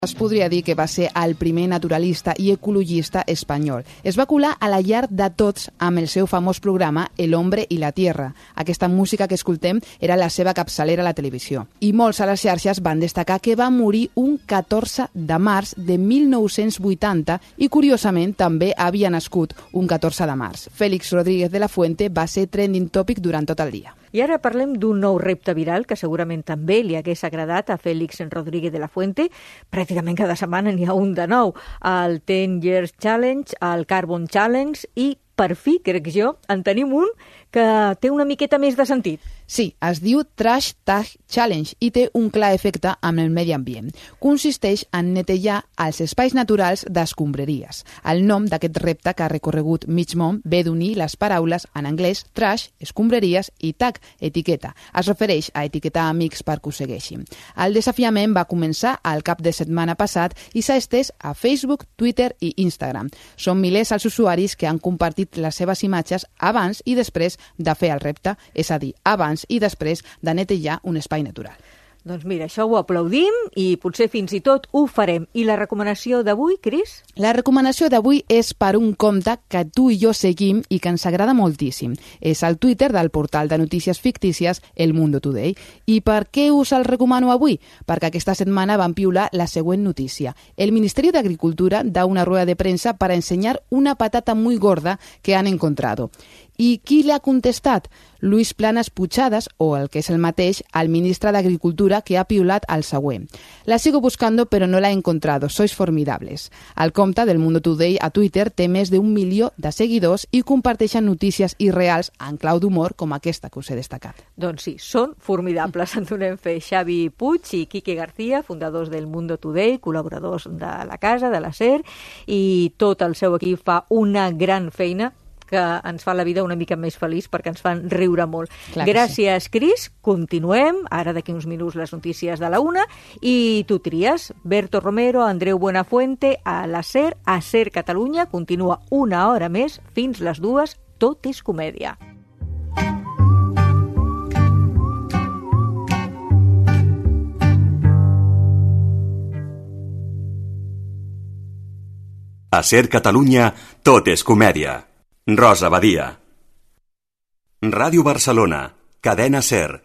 Es podria dir que va ser el primer naturalista i ecologista espanyol. Es va colar a la llar de tots amb el seu famós programa El hombre i la tierra. Aquesta música que escoltem era la seva capçalera a la televisió. I molts a les xarxes van destacar que va morir un catorze de març de mil nou-cents vuitanta i, curiosament, també havia nascut un catorze de març. Félix Rodríguez de la Fuente va ser trending topic durant tot el dia. I ara parlem d'un nou repte viral que segurament també li hagués agradat a Félix Rodríguez de la Fuente. Pràcticament cada setmana n'hi ha un de nou. El ten years Challenge, el Carbon Challenge i, per fi, crec jo, en tenim un que té una miqueta més de sentit. Sí, es diu Trash Tag Challenge i té un clar efecte amb el medi ambient. Consisteix en netejar els espais naturals d'escombraries. El nom d'aquest repte que ha recorregut mig món ve d'unir les paraules en anglès trash, escombraries i tag, etiqueta. Es refereix a etiquetar amics per que ho segueixin. El desafiament va començar al cap de setmana passat i s'ha estès a Facebook, Twitter i Instagram. Són milers els usuaris que han compartit les seves imatges abans i després de fer el repte, és a dir, abans i després de netejar un espai natural. Doncs mira, això ho aplaudim i potser fins i tot ho farem. I la recomanació d'avui, Cris? La recomanació d'avui és per un compte que tu i jo seguim i que ens agrada moltíssim. És el Twitter del portal de notícies fictícies El Mundo Today. I per què us el recomano avui? Perquè aquesta setmana van piular la següent notícia. El Ministerio de Agricultura da una rueda de prensa para enseñar una patata muy gorda que han encontrado. I qui l'ha contestat? Luis Planas Puchadas, o el que és el mateix, el ministre d'Agricultura, que ha piulat el següent. La sigo buscando pero no la he encontrado, sois formidables. El compte del Mundo Today a Twitter té més d'un milió de seguidors i comparteixen notícies irreals en clau d'humor com aquesta que us he destacat. Doncs sí, són formidables. En donem fe Xavi Puig i Quique García, fundadors del Mundo Today, col·laboradors de la casa, de la SER, i tot el seu equip fa una gran feina que ens fa la vida una mica més feliç perquè ens fan riure molt. Clar Gràcies, sí. Cris. Continuem. Ara d'aquí uns minuts les notícies de la una i tu tries. Berto Romero, Andreu Buenafuente, a la SER, a SER Catalunya. Continua una hora més fins les dues. Tot és comèdia. A SER Catalunya, tot és comèdia. Rosa Badia. Ràdio Barcelona, cadena SER.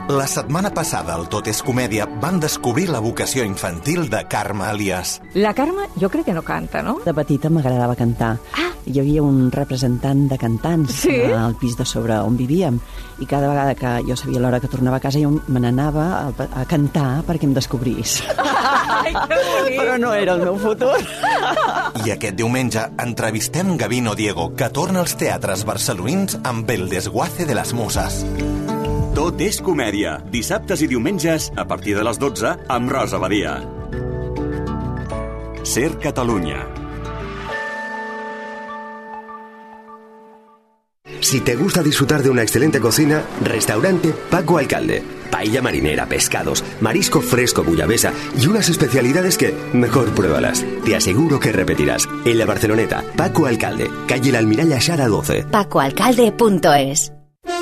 La setmana passada al Tot és Comèdia van descobrir la vocació infantil de Carme Elias. La Carme jo crec que no canta, no? De petita m'agradava cantar. Ah. Hi havia un representant de cantants sí? al pis de sobre on vivíem i cada vegada que jo sabia l'hora que tornava a casa jo me n'anava a, a cantar perquè em descobrís. Ai, que bonic! Però no era el meu futur. I aquest diumenge entrevistem Gavino Diego, que torna als teatres barcelonins amb El desguace de las musas. Tot és comèdia. Dissabtes i diumenges, a partir de les dotze, amb Rosa Badia. SER Catalunya. Si te gusta disfrutar de una excelente cocina, restaurante Paco Alcalde. Paella marinera, pescados, marisco fresco bullabesa y unas especialidades que, mejor pruébalas. Te aseguro que repetirás. En la Barceloneta, Paco Alcalde, calle La Almiralla Xara doce. paco alcalde punto es.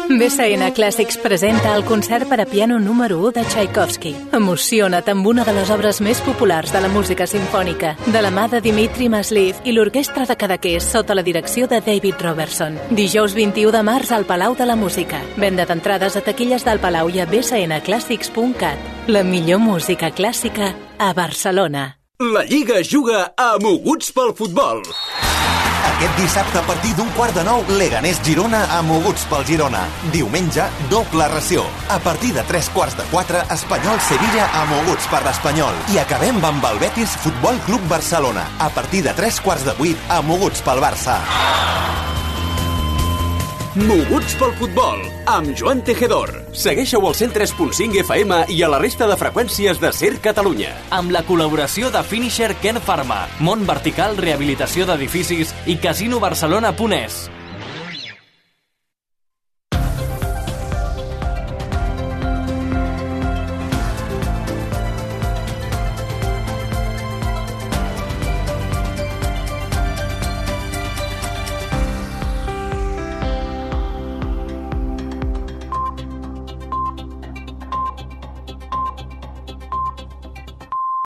B S N Clàssics presenta el concert per a piano número u de Tchaikovsky. Emociona't amb una de les obres més populars de la música simfònica, de la mà de Dimitri Masliv i l'Orquestra de Cadaqués sota la direcció de David Robertson. Dijous vint-i-u de març al Palau de la Música. Venda d'entrades a taquilles del Palau i a b s n clàssics punt cat. La millor música clàssica a Barcelona. La Lliga juga a Moguts pel futbol. Aquest dissabte a partir d'un quart de nou, Leganés Girona a Moguts pel Girona. Diumenge, doble ració. A partir de tres quarts de quatre, Espanyol Sevilla a Moguts per l'Espanyol. I acabem amb el Betis Futbol Club Barcelona. A partir de tres quarts de vuit, a Moguts pel Barça. Moguts pel futbol, amb Joan Tejedor. Segueixeu al cent tres punt cinc F M i a la resta de freqüències de Ser Catalunya. Amb la col·laboració de Finisher Ken Pharma, Mont Vertical Rehabilitació d'Edificis i Casino Barcelona punt es.